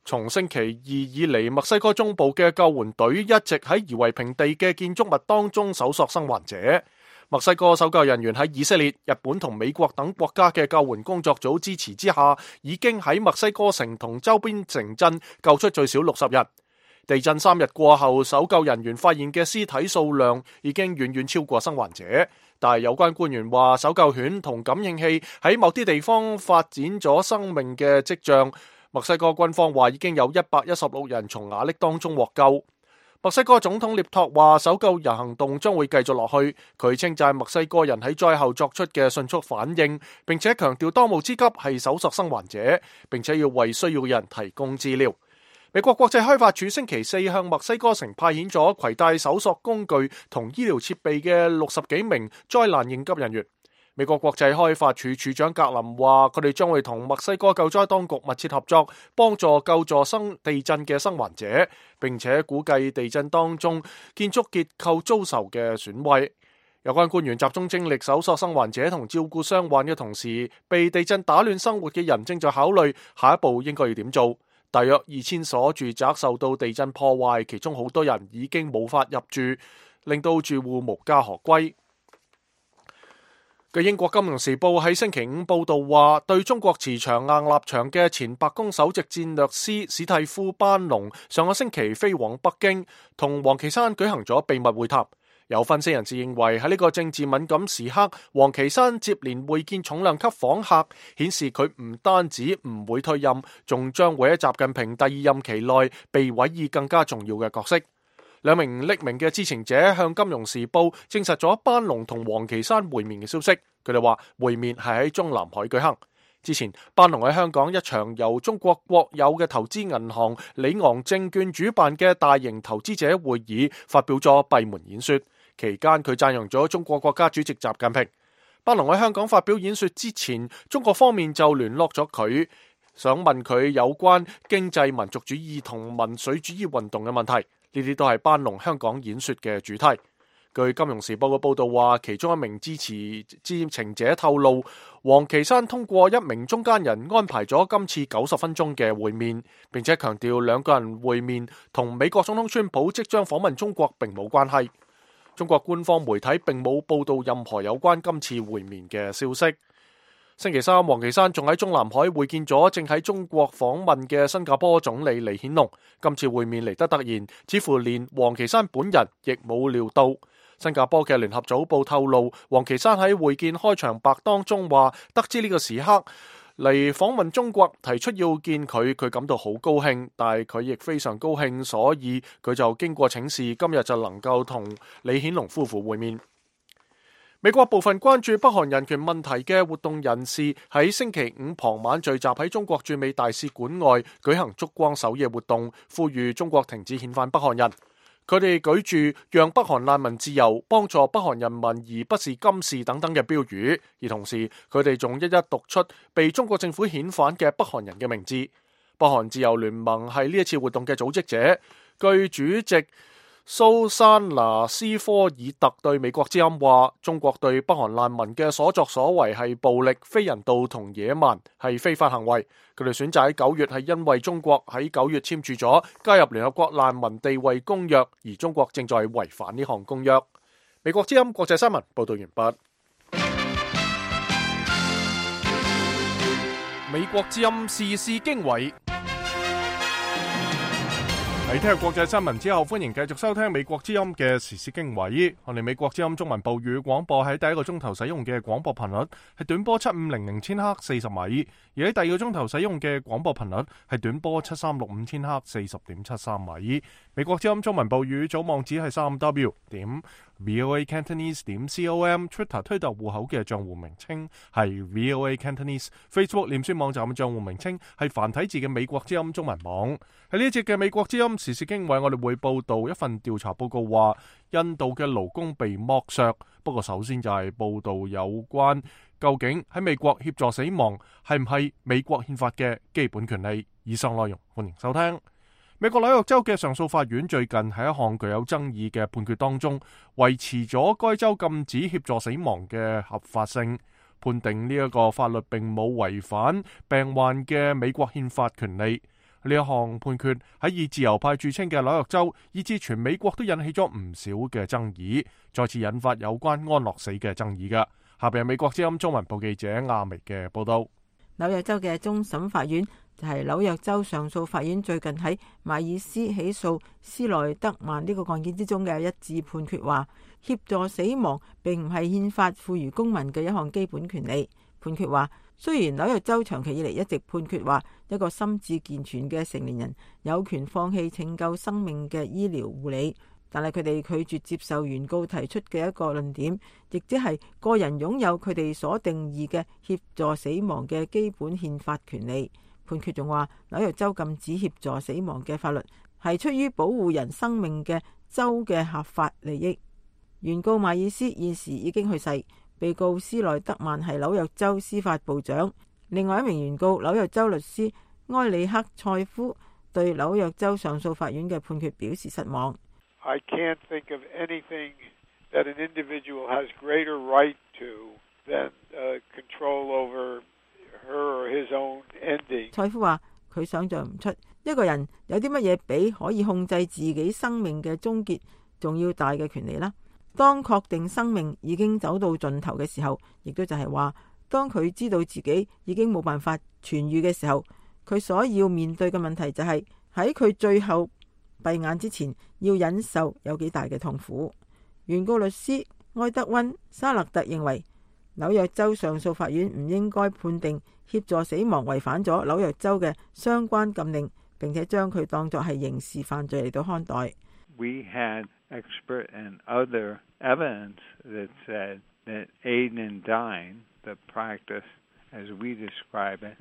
從星期二以嚟，墨西哥中部嘅救援隊一直喺夷為平地嘅建築物當中搜索生還者。墨西哥搜救人員喺以色列、日本同美國等國家嘅救援工作組支持之下，已經喺墨西哥城同周邊城鎮救出最少六十人。地震三日過後，搜救人員發現嘅屍體數量已經遠遠超過生還者，但係有關官員話，搜救犬同感應器喺某啲地方發展咗生命嘅跡象。墨西哥軍方話已經有一百一十六人從瓦礫當中獲救。墨西哥總統涅托話，搜救人行動將會繼續落去。佢稱讚墨西哥人喺災後作出嘅迅速反應，並且強調當務之急係搜索生還者，並且要為需要人提供資料。美國國際開發署星期四向墨西哥城派遣咗攜帶搜索工具同醫療設備嘅六十幾名災難應急人員。美國國際開發署署長格林話，佢哋將會同墨西哥救災當局密切合作，幫助救助生地震嘅生還者，並且估計地震當中建築結構遭受嘅損毀。有關官員集中精力搜索生還者同照顧傷患嘅同時，被地震打亂生活嘅人正在考慮下一步應該要點做。大約二千所住宅受到地震破壞，其中好多人已經無法入住，令到住戶無家可歸。據英國金融時報喺星期五報道話，對中國持強硬立場嘅前白宮首席戰略師史蒂夫班農上個星期飛往北京，同王岐山舉行咗秘密會談。有分析人士認為，喺呢個政治敏感時刻，王岐山接連會見重量級訪客，顯示佢唔單止唔會退任，仲將會喺習近平第二任期內被委以更加重要嘅角色。兩名匿名嘅知情者向金融時報證實咗班農同王岐山會面嘅消息。佢哋話會面係喺中南海舉行。之前班農喺香港一場由中國國有嘅投資銀行里昂證券主辦嘅大型投資者會議發表咗閉門演說。期間佢讚揚咗中國國家主席習近平。班農喺香港發表演說之前，中國方面就聯絡咗佢，想問佢有關經濟民族主義同民粹主義運動嘅問題。呢啲都係班農香港演說嘅主題。據金融時報嘅報道話，其中一名支持知情者透露，王岐山通過一名中間人安排咗今次九十分鐘嘅會面，並且強調兩個人會面同美國總統川普即將訪問中國並冇關係。中國官方媒體並冇報道任何有關今次會面嘅消息。星期三，王岐山仲喺中南海會見咗正喺中國訪問嘅新加坡總理李顯龍。今次會面嚟得突然，似乎連王岐山本人亦冇料到。新加坡嘅聯合早報透露，王岐山喺會見開場白當中話，得知呢個時刻嚟訪問中國，提出要見佢，佢感到好高興，但係佢亦非常高興，所以佢就經過請示，今日就能夠同李顯龍夫婦會面。美國部分關注北韓人權問題嘅活動人士喺星期五傍晚聚集喺中國駐美大使館外舉行燭光守夜活動，呼籲中國停止遣返北韓人。佢哋舉住讓北韓難民自由、幫助北韓人民而不是金氏等等嘅標語，而同時佢哋仲一一讀出被中國政府遣返嘅北韓人嘅名字。北韓自由聯盟係呢一次活動嘅組織者，據主席蘇珊娜斯科爾特對美國之音話，中國對北韓難民嘅所作所為係暴力、非人道同野蠻，係非法行為。佢哋選擇喺九月係因為中國喺九月簽署咗加入聯合國難民地位公約，而中國正在違反呢項公約。美國之音國際新聞報道完畢。美國之音時事經緯。喺聽日國際新聞之後，歡迎繼續收聽美國之音嘅時事經緯。我哋美國之音中文部語廣播喺第一個鐘頭使用嘅廣播頻率係短波七五零零千赫四十米，而喺第二個鐘頭使用嘅廣播頻率係短波七三六五千赫四十點七三米。美國之音中文部語組網址係三 w 點 voa cantonese 點 com，Twitter 推特戶口嘅賬戶名稱係 voa cantonese，Facebook 臉書網站嘅賬戶名稱係繁體字嘅美國之音中文網。喺呢一節嘅美國之音時事經緯，我哋會報道一份調查報告話，印度嘅勞工被剝削。不過首先就係報道有關究竟喺美國協助死亡係唔係美國憲法嘅基本權利。以上內容歡迎收聽。美國紐約州嘅上訴法院最近喺一項具有爭議嘅判決當中，維持咗該州禁止協助死亡嘅合法性，判定呢一個法律並冇違反病患嘅美國憲法權利。呢一項判決喺以自由派著稱嘅紐約州，以至全美國都引起咗唔少嘅爭議，再次引發有關安樂死嘅爭議嘅。下邊係美國之音中文部記者亞薇嘅報道。紐約州嘅終審法院就係紐約州上訴法院最近喺馬爾斯起訴斯萊德曼呢個案件之中嘅一致判決話，協助死亡並唔係憲法賦予公民嘅一項基本權利。判決話，雖然紐約州長期以嚟一直判決話，一個心智健全嘅成年人有權放棄拯救生命嘅醫療護理，但係佢哋拒絕接受原告提出嘅一個論點，亦即係個人擁有佢哋所定義嘅協助死亡嘅基本憲法權利。判決仲話，紐約州禁止協助死亡嘅法律係出於保護人生命嘅州嘅合法利益。原告馬爾斯現時已經去世，被告斯萊德曼係紐約州司法部長。另外一名原告紐約州律師埃里克塞夫對紐約州上訴法院嘅判決表示失望。I can't think of anything that an individual has greater right to than uh, control over her or his own ending. 塞夫話佢想象唔出一個人有啲乜嘢比可以控制自己生命嘅終結仲要大嘅權利啦。當確定生命已經走到盡頭嘅時候，亦都就係話，當佢知道自己已經冇辦法痊癒嘅時候，佢所要面對嘅問題就係喺佢最後閉眼之前要忍受有幾大嘅痛苦。原告律師埃德溫沙勒特認為，紐約州上訴法院唔應該判定協助死亡違反咗紐約州嘅相關禁令，並且將佢當作係刑事犯罪嚟到看待。We had expert and other evidence that said that aiding and dying, the practice as we describe it,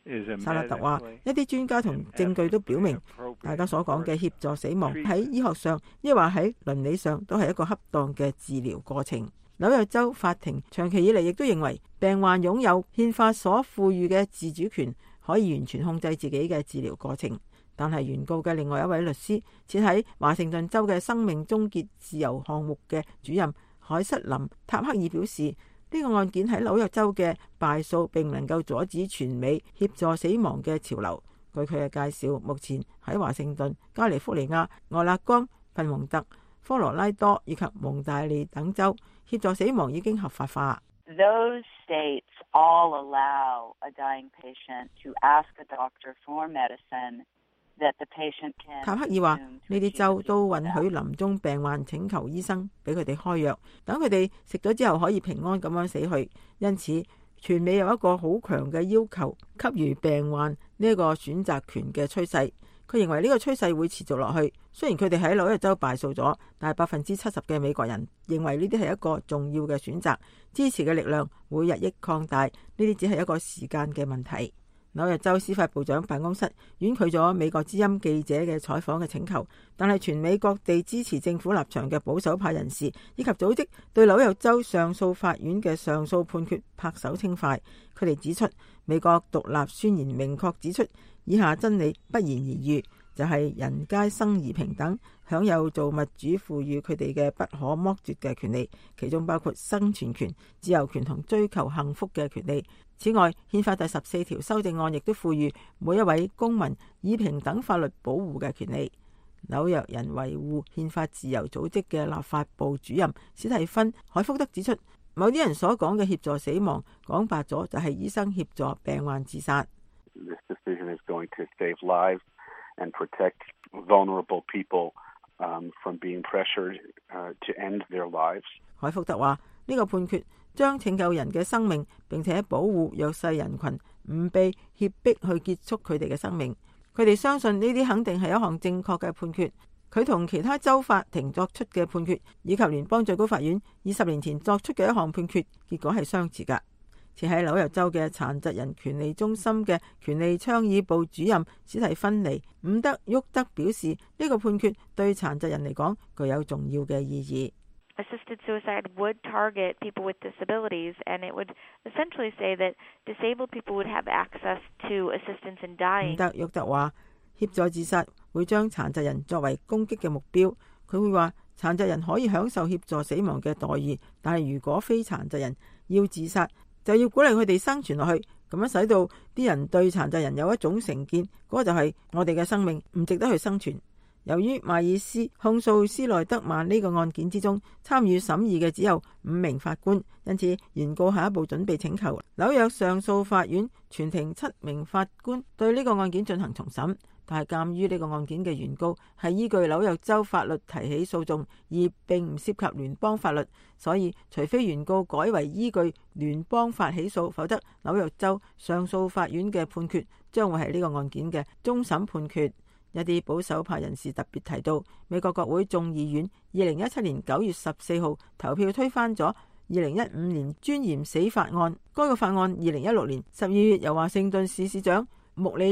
is a 沙勒特話，一啲專家同證據都表明，大家所講嘅協助死亡喺醫學上，亦或喺倫理上，都係一個恰當嘅治療過程。紐約州法庭長期以嚟亦都認為，病患擁有憲法所賦予嘅自主權，可以完全控制自己嘅治療過程。但係原告嘅另外一位律師，設喺華盛頓州嘅生命終結自由項目嘅主任海瑟琳塔克爾表示，呢個案件喺紐約州嘅敗訴並唔能夠阻止全美協助死亡嘅潮流。據佢嘅介紹，目前喺華盛頓、加利福尼亞、俄勒岡、佛蒙特、科羅拉多以及蒙大利等州，協助死亡已經合法化。Those states all allow a dying patient to ask a doctor for medicine that the patient can。塔克爾話：呢啲州都允許臨終病患請求醫生俾佢哋開藥，等佢哋食咗之後可以平安咁樣死去。因此，全美有一個好強嘅要求，給予病患呢一個選擇權嘅趨勢。佢認為呢個趨勢會持續落去。雖然佢哋喺紐約州敗訴咗，但係百分之七十嘅美國人認為呢啲係一個重要嘅選擇，支持嘅力量會日益擴大。呢啲只係一個時間嘅問題。紐約州司法部長辦公室婉拒咗美國之音記者嘅採訪嘅請求，但係全美各地支持政府立場嘅保守派人士以及組織對紐約州上訴法院嘅上訴判決拍手稱快。佢哋指出，美國獨立宣言明確指出以下真理不言而喻，就係、是、人皆生而平等，享有造物主賦予佢哋嘅不可剝奪嘅權利，其中包括生存權、自由權同追求幸福嘅權利。此外，憲法第十四條修正案亦都賦予每一位公民以平等法律保護嘅權利。紐約人維護憲法自由組織嘅立法部主任史蒂芬·海福德指出，某啲人所講嘅協助死亡，講白咗就係醫生協助病患自殺。This decision is going to save lives and protect vulnerable people um, from being pressured uh, to end their lives. 海福德話：呢個判決將拯救人嘅生命，並且保護弱勢人群唔被脅迫去結束佢哋嘅生命。佢哋相信呢啲肯定係一項正確嘅判決。佢同其他州法庭作出嘅判決，以及聯邦最高法院二十年前作出嘅一項判決，結果係相似㗎。前喺紐約州嘅殘疾人權利中心嘅權利倡議部主任史蒂芬尼·伍德沃德表示，呢、這個判決對殘疾人嚟講具有重要嘅意義。Assisted suicide would target people with disabilities, and it would essentially say that disabled people would have access to assistance in dying. 伍德沃德話，協助自殺會將殘疾人作為攻擊嘅目標。佢會話，殘疾人可以享受協助死亡嘅待遇，但係如果非殘疾人要自殺，就要鼓勵佢哋生存落去，咁樣使到啲人對殘疾人有一種成見，嗰、那個就係我哋嘅生命唔值得去生存。由於邁爾斯控訴斯內德曼呢個案件之中參與審議嘅只有五名法官，因此原告下一步準備請求紐約上訴法院全庭七名法官對呢個案件進行重審。但係鑑於呢個案件嘅原告係依據紐約州法律提起訴訟，而並唔涉及聯邦法律，所以除非原告改為依據聯邦法起訴，否則紐約州上訴法院嘅判決將會係呢個案件嘅終審判決。一啲保守派人士特別提到，美國國會眾議院二零一七年九月十四號投票推翻咗二零一五年尊嚴死法案。該個法案二零一六年十二月由華盛頓市市長穆里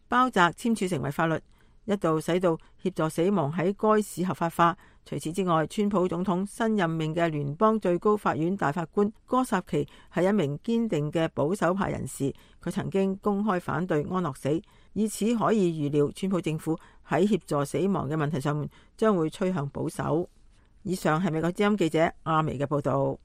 爾鮑澤簽署成為法律，一度使到協助死亡喺該市合法化。除此之外，川普總統新任命嘅聯邦最高法院大法官哥薩奇係一名堅定嘅保守派人士，佢曾經公開反對安樂死，以此可以預料川普政府喺協助死亡嘅問題上面將會趨向保守。以上係美國之音記者阿薇嘅報道。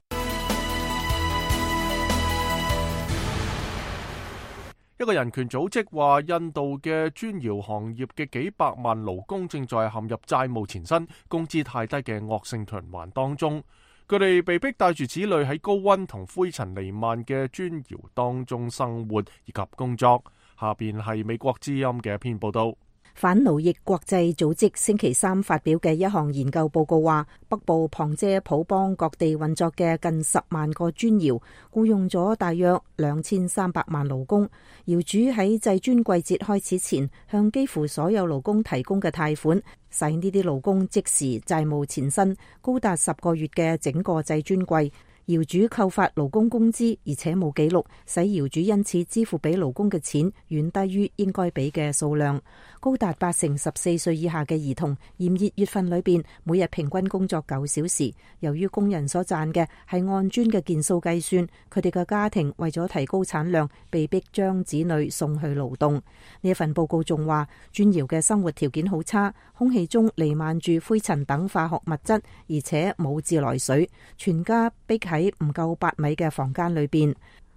一個人權組織話，印度嘅磚窯行業嘅幾百萬勞工正在陷入債務纏身、工資太低嘅惡性循環當中。佢哋被迫帶住子女喺高溫同灰塵彌漫嘅磚窯當中生活以及工作。下邊係美國之音嘅一篇報道。反奴役國際組織星期三發表嘅一項研究報告話，北部旁遮普邦各地運作嘅近十萬個磚窯僱用咗大約兩千三百萬勞工。窯主喺製磚季節開始前，向幾乎所有勞工提供嘅貸款，使呢啲勞工即時債務纏身，高達十個月嘅整個製磚季。窯主扣發勞工工資，而且冇記錄，使窯主因此支付俾勞工嘅錢遠低於應該俾嘅數量。高達八成十四歲以下嘅兒童，炎熱月份裏邊每日平均工作九小時。由於工人所賺嘅係按磚嘅件數計算，佢哋嘅家庭為咗提高產量，被迫將子女送去勞動。呢一份報告仲話，磚窯嘅生活條件好差，空氣中彌漫住灰塵等化學物質，而且冇自來水，全家逼喺唔夠八米嘅房間裏邊。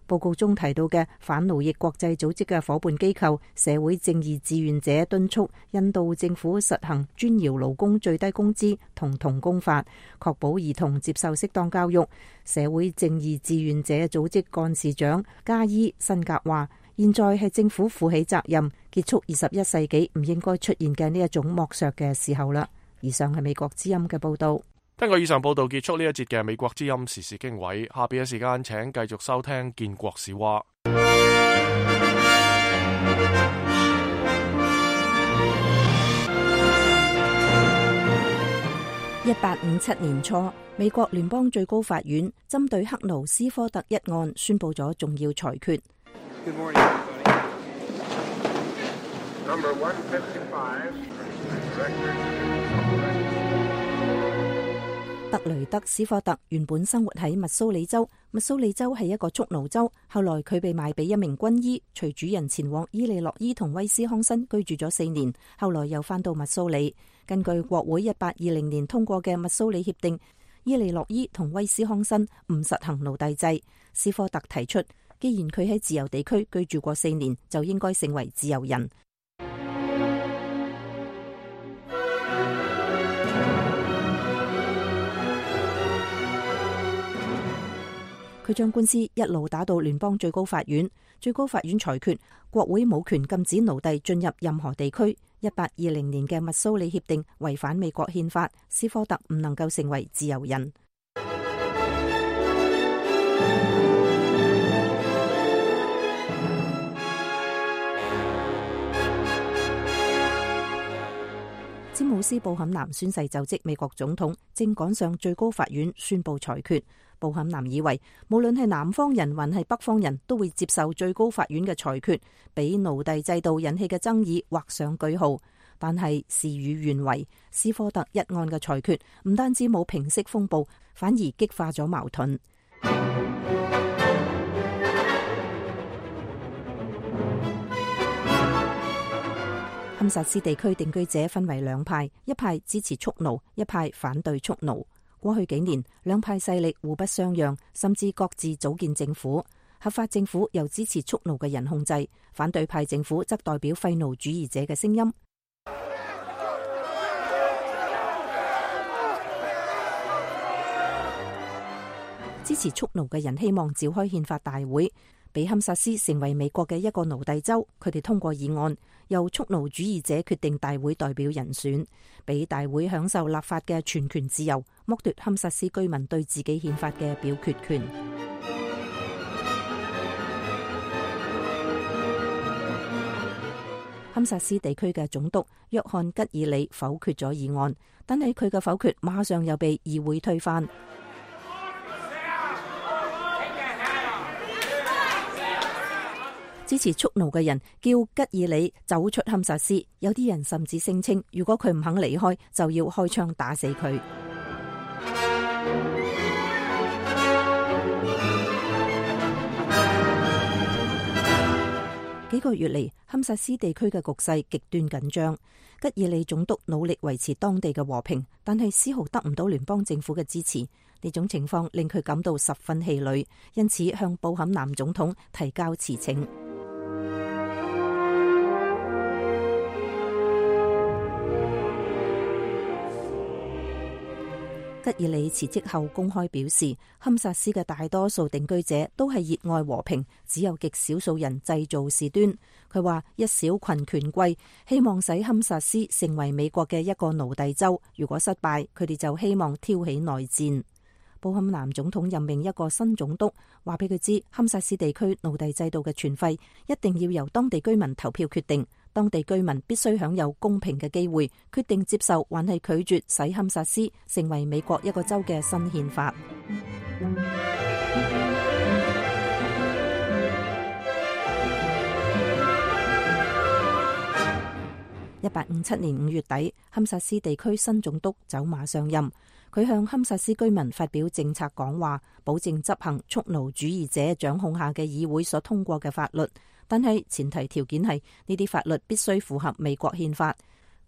報告中提到嘅反奴役國際組織嘅夥伴機構社會正義志願者敦促印度政府實行磚窯勞工最低工資同童工法，確保兒童接受適當教育。社會正義志願者組織幹事長加伊辛格話，現在係政府負起責任，結束二十一世紀唔應該出現嘅呢一種剝削嘅時候啦。以上係美國之音嘅報道。聽過以上報道，結束呢一節嘅美國之音時事經緯。下邊嘅時間，請繼續收聽建國史話。一八五七年初，美國聯邦最高法院針對克勞斯科特一案宣布咗重要裁決。Good morning, Number one fifty-five, 特雷德斯科特原本生活喺密蘇里州，密蘇里州係一個蓄奴州。後來佢被賣俾一名軍醫，隨主人前往伊利諾伊同威斯康辛居住咗四年，後來又返到密蘇里。根據國會一八二零年通過嘅密蘇里協定，伊利諾伊同威斯康辛唔實行奴隸制。斯科特提出，既然佢喺自由地區居住過四年，就應該成為自由人。佢將官司一路打到聯邦最高法院，最高法院裁決國會冇權禁止奴隸進入任何地區。一八二零年嘅密蘇里協定違反美國憲法，斯科特唔能夠成為自由人。詹姆斯·布坎南宣誓就職美國總統，正趕上最高法院宣布裁決。布坎南以為無論係南方人還係北方人都會接受最高法院嘅裁決，俾奴隸制度引起嘅爭議畫上句號。但係事與願違，斯科特一案嘅裁決唔單止冇平息風暴，反而激化咗矛盾。堪薩斯地區定居者分為兩派，一派支持蓄奴，一派反對蓄奴。過去幾年，兩派勢力互不相讓，甚至各自組建政府。合法政府由支持蓄奴嘅人控制，反對派政府則代表廢奴主義者嘅聲音。支持蓄奴嘅人希望召開憲法大會，俾堪薩斯成為美國嘅一個奴隸州。佢哋通過議案，由蓄奴主義者決定大會代表人選，俾大會享受立法嘅全權自由，剝奪堪薩斯居民對自己憲法嘅表決權。堪薩斯地區嘅總督約翰吉爾里否決咗議案，但係佢嘅否決馬上又被議會推翻。支持蓄奴嘅人叫吉爾里走出堪薩斯，有啲人甚至聲稱，如果佢唔肯離開，就要開槍打死佢。幾個月嚟，堪薩斯地區嘅局勢極端緊張。吉爾里總督努力維持當地嘅和平，但係絲毫得唔到聯邦政府嘅支持。呢種情況令佢感到十分氣餒，因此向布坎南總統提交辭呈。吉爾里辭職後公開表示，堪薩斯嘅大多數定居者都係熱愛和平，只有極少數人製造事端。佢話一小群權貴希望使堪薩斯成為美國嘅一個奴隸州，如果失敗，佢哋就希望挑起內戰。布坎南總統任命一個新總督，話俾佢知堪薩斯地區奴隸制度嘅存廢一定要由當地居民投票決定。當地居民必須享有公平嘅機會，決定接受還係拒絕使堪薩斯成為美國一個州嘅新憲法。一八五七年五月底，堪薩斯地區新總督走馬上任，佢向堪薩斯居民發表政策講話，保證執行蓄奴主義者掌控下嘅議會所通過嘅法律。但係前提條件係呢啲法律必須符合美國憲法。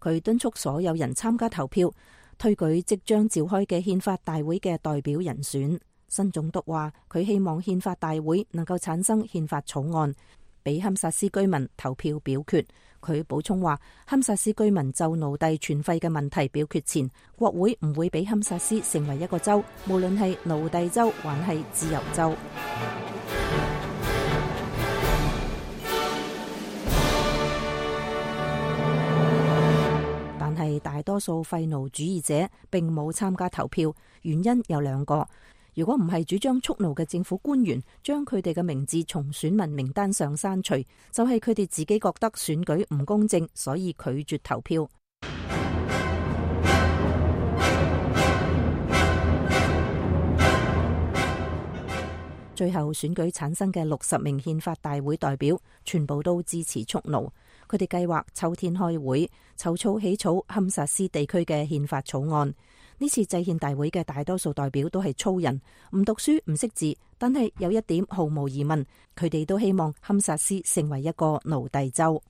佢敦促所有人參加投票，推舉即將召開嘅憲法大會嘅代表人選。新總督話佢希望憲法大會能夠產生憲法草案，俾堪薩斯居民投票表決。佢補充話，堪薩斯居民就奴隸存廢嘅問題表決前，國會唔會俾堪薩斯成為一個州，無論係奴隸州還係自由州。但係大多數廢奴主義者並冇參加投票，原因有兩個。如果唔係主張蓄奴嘅政府官員將佢哋嘅名字從選民名單上刪除，就係佢哋自己覺得選舉唔公正，所以拒絕投票。最後選舉產生嘅六十名憲法大會代表全部都支持蓄奴，佢哋計劃秋天開會籌措起草堪薩斯地區嘅憲法草案。呢次制憲大會嘅大多數代表都係粗人，唔讀書唔識字，但係有一點毫無疑問，佢哋都希望堪薩斯成為一個奴隸州。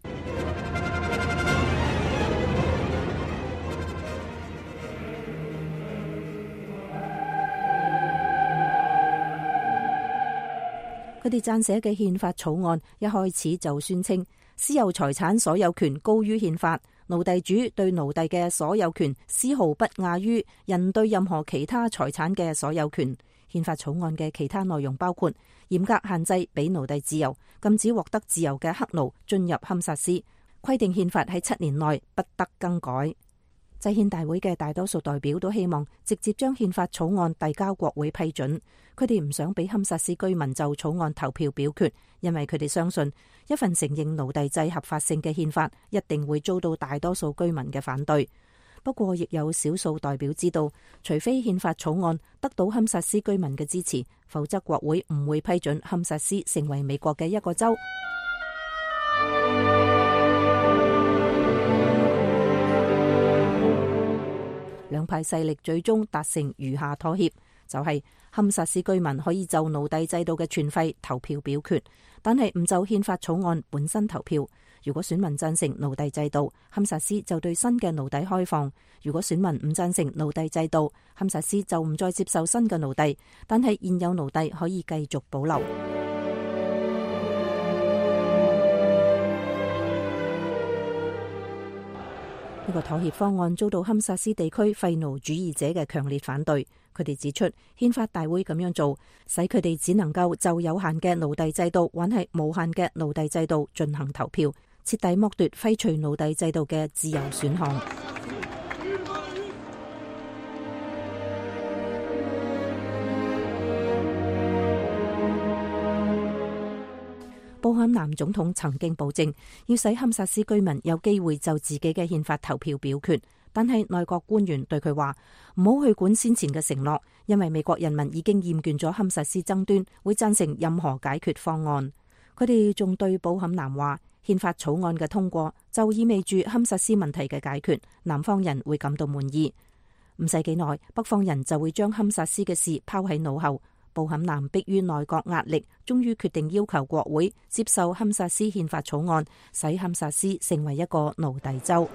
佢哋撰寫嘅憲法草案一開始就宣稱私有財產所有權高於憲法，奴隸主對奴隸嘅所有權絲毫不亞於人對任何其他財產嘅所有權。憲法草案嘅其他內容包括嚴格限制俾奴隸自由，禁止獲得自由嘅黑奴進入堪薩斯，規定憲法喺七年內不得更改。制憲大會嘅大多數代表都希望直接將憲法草案遞交國會批准，佢哋唔想俾堪薩斯居民就草案投票表決，因為佢哋相信一份承認奴隸制合法性嘅憲法一定會遭到大多數居民嘅反對。不過亦有少數代表知道，除非憲法草案得到堪薩斯居民嘅支持，否則國會唔會批准堪薩斯成為美國嘅一個州。兩派勢力最終達成餘下妥協，就係堪薩斯居民可以就奴隸制度嘅存廢投票表決，但係唔就憲法草案本身投票。如果選民贊成奴隸制度，堪薩斯就對新嘅奴隸開放；如果選民唔贊成奴隸制度，堪薩斯就唔再接受新嘅奴隸，但係現有奴隸可以繼續保留。呢個妥協方案遭到堪薩斯地區廢奴主義者嘅強烈反對。佢哋指出，憲法大會咁樣做，使佢哋只能夠就有限嘅奴隸制度，或係無限嘅奴隸制度進行投票，徹底剝奪廢除奴隸制度嘅自由選項。布坎南總統曾經保證要使堪薩斯居民有機會就自己嘅憲法投票表決，但係內閣官員對佢話唔好去管先前嘅承諾，因為美國人民已經厭倦咗堪薩斯爭端，會贊成任何解決方案。佢哋仲對布坎南話，憲法草案嘅通過就意味住堪薩斯問題嘅解決，南方人會感到滿意。唔使幾耐，北方人就會將堪薩斯嘅事拋喺腦後。布坎南迫於內閣壓力，終於決定要求國會接受堪薩斯憲法草案，使堪薩斯成為一個奴隸州。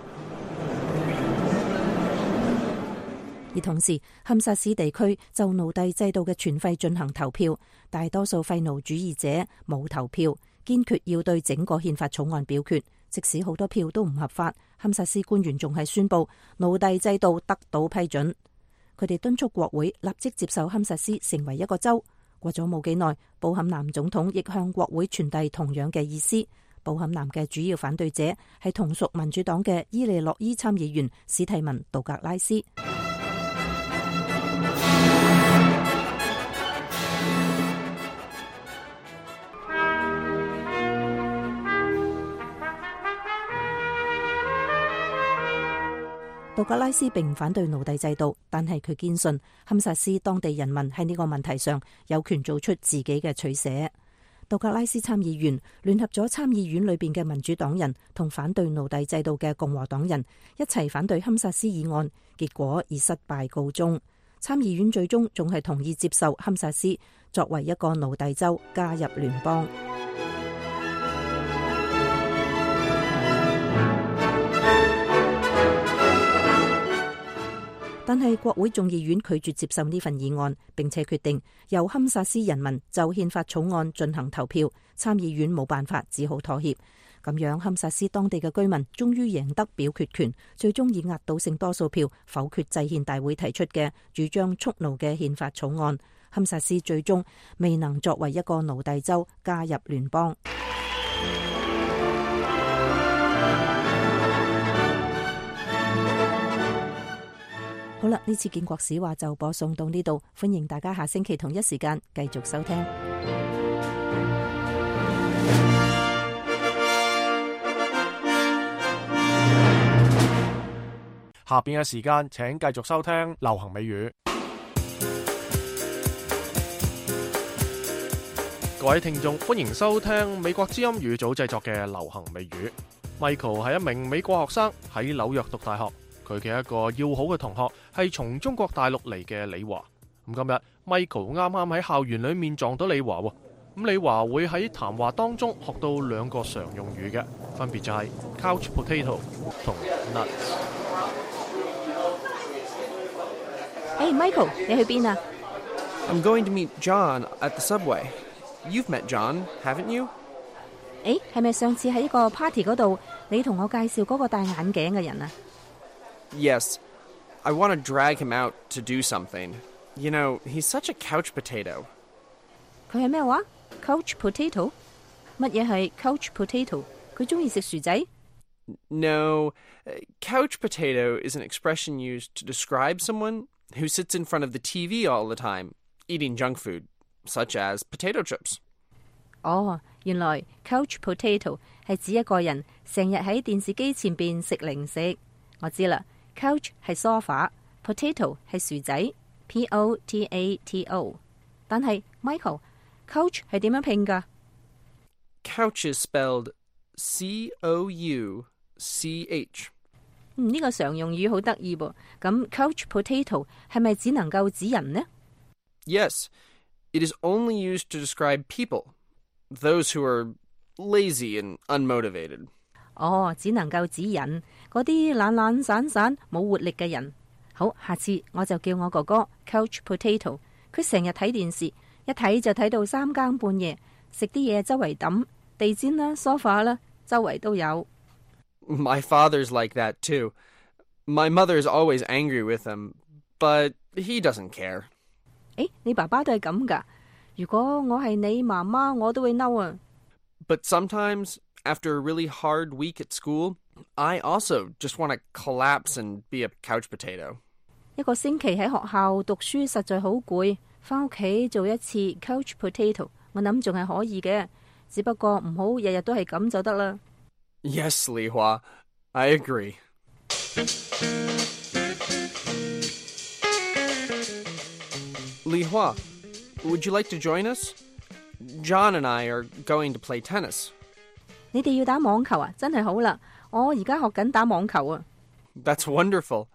而同時，堪薩斯地區就奴隸制度嘅存廢進行投票，大多數廢奴主義者冇投票，堅決要對整個憲法草案表決，即使好多票都唔合法。堪薩斯官員仲係宣布奴隸制度得到批准。佢哋敦促國會立即接受堪薩斯成為一個州。過咗冇幾耐，布坎南總統亦向國會傳遞同樣嘅意思。布坎南嘅主要反對者係同屬民主黨嘅伊利諾伊參議員史蒂文·杜格拉斯。杜格拉斯並唔反對奴隸制度，但係佢堅信堪薩斯當地人民喺呢個問題上有權做出自己嘅取捨。杜格拉斯參議員聯合咗參議院裏邊嘅民主黨人同反對奴隸制度嘅共和黨人一齊反對堪薩斯議案，結果以失敗告終。參議院最終仲係同意接受堪薩斯作為一個奴隸州加入聯邦。但係國會眾議院拒絕接受呢份議案，並且決定由堪薩斯人民就憲法草案進行投票。參議院冇辦法，只好妥協。咁樣堪薩斯當地嘅居民終於贏得表決權，最終以壓倒性多數票否決制憲大會提出嘅主張蓄奴嘅憲法草案。堪薩斯最終未能作為一個奴隸州加入聯邦。好啦，呢次建國史話就播送到呢度，歡迎大家下星期同一時間繼續收聽。下邊嘅時間，請繼續收聽流行美語。各位聽眾，歡迎收聽美國之音語組製作嘅流行美語。Michael 係一名美國學生，喺紐約讀大學。佢嘅一個要好嘅同學係從中國大陸嚟嘅李華。咁今日 Michael 啱啱喺校園裏面撞到李華喎。咁李華會喺談話當中學到兩個常用語嘅，分別就係 couch potato 同 nuts。Hey Michael， 你去邊啊？ I'm going to meet John at the subway. You've met John, haven't you? 誒，係咪上次喺一個 party 嗰度，你同我介紹嗰個戴眼鏡嘅人啊？ Yes. I want to drag him out to do something. You know, he's such a couch potato. 佢係咩話 ？Couch potato？ 乜嘢係 couch potato？ 佢中意食薯仔 No, couch potato is an expression used to describe someone who sits in front of the T V all the time, eating junk food, such as potato chips. 哦，原來 couch potato 係指一個人成日喺電視機前邊食零食。我知啦 ，couch 係 sofa，potato 係薯仔 ，P O T A T O。但係 Michael，couch 係點樣拼㗎 ？Couch is spelled C O U C H。嗯，呢個常用語好得意噃。咁 couch potato 係咪只能夠指人呢？ Yes, it is only used to describe people, those who are lazy and unmotivated. 哦，只能夠指人，嗰啲懶懶散散冇活力嘅人。好，下次我就叫我哥哥 couch potato。佢成日睇電視，一睇就睇到三更半夜，食啲嘢周圍抌，地氈啦、sofa 啦，周圍都有。My father's like that too. My mother's always angry with him, but he doesn't care. 誒，你爸爸都係咁㗎？如果我係你媽媽，我都會嬲啊。But sometimes, after a really hard week at school, I also just want to collapse and be a couch potato. 一個星期喺學校讀書實在好攰，返屋企做一次 couch potato， 我諗仲係可以嘅，只不過唔好日日都係咁就得啦。Yes, Li Hua, I agree. Li Hua, would you like to join us? John and I are going to play tennis. 你哋要打網球啊？真係好啦，我而家學緊打網球啊。That's wonderful.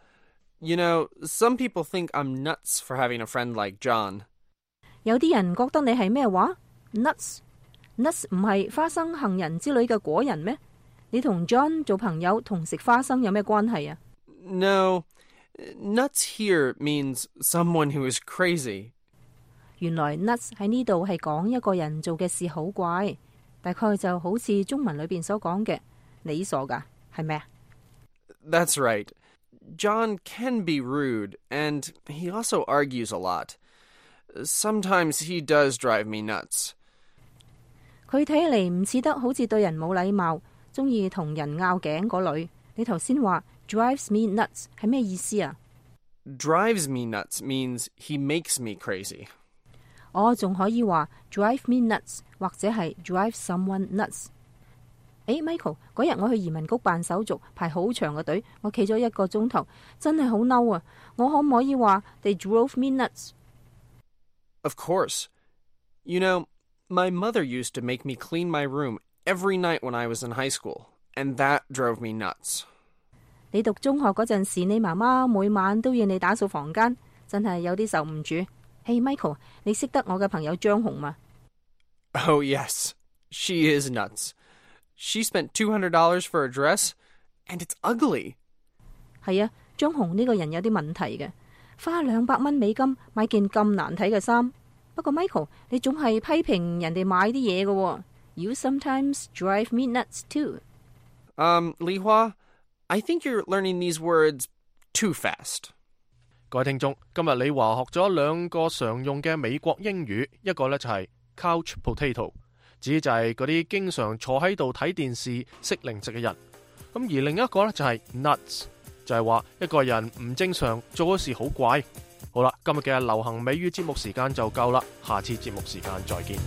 You know, some people think I'm nuts for having a friend like John. 有啲人覺得你係咩話 ？Nuts? Nuts 唔係花生、杏仁之類嘅果仁咩？你同 John 做朋友同食花生有咩關係啊 ？No, nuts here means someone who is crazy. 原來 nuts 喺呢度係講一個人做嘅事好怪，大概就好似中文裏邊所講嘅，你傻噶，係咪啊 ？That's right. John can be rude, and he also argues a lot. Sometimes he does drive me nuts. 佢睇起嚟唔似得好似對人冇禮貌，中意同人拗頸嗰類。你頭先話 drives me nuts 係咩意思啊 ？Drives me nuts means he makes me crazy. 我仲可以話 drive me nuts 或者係 drive someone nuts。誒 Michael， 嗰日我去移民局辦手續，排好長嘅隊，我企咗一個鐘頭，真係好嬲啊！我可唔可以話 they drove me nuts？ Of course. You know, my mother used to make me clean my room every night when I was in high school, and that drove me nuts. 你讀中學嗰陣時，你媽媽每晚都要你打掃房間，真係有啲受唔住。Hey Michael， 你識得我嘅朋友張紅嗎 ？Oh yes, she is nuts. She spent two hundred dollars for a dress, and it's ugly. 係啊，張紅呢個人有啲問題嘅，花兩百蚊美金買件咁難睇嘅衫。不過 Michael， 你總係批評人哋買啲嘢嘅。You sometimes drive me nuts too. Um, Li Hua, I think you're learning these words too fast. 各位聽眾，今日李華學咗兩個常用嘅美國英語，一個呢就係 couch potato， 指就係嗰啲經常坐喺度睇電視食零食嘅人。咁而另一個呢就係 nuts， 就係話一個人唔正常，做嘅事好怪。好啦，今日嘅流行美語節目時間就夠啦，下次節目時間再見。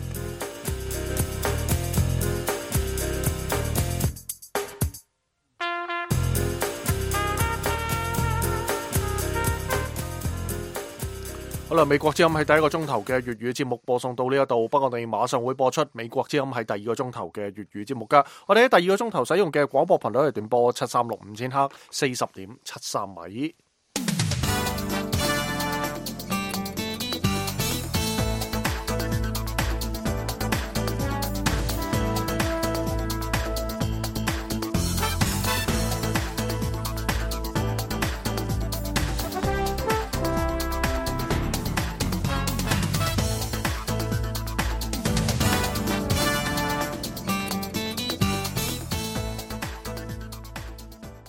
好啦，美國之音係第一個鐘頭嘅粵語節目播送到呢一度，不過我哋馬上會播出美國之音係第二個鐘頭嘅粵語節目噶。我哋喺第二個鐘頭使用嘅廣播頻率係短波七三六五千赫，四十點七三米。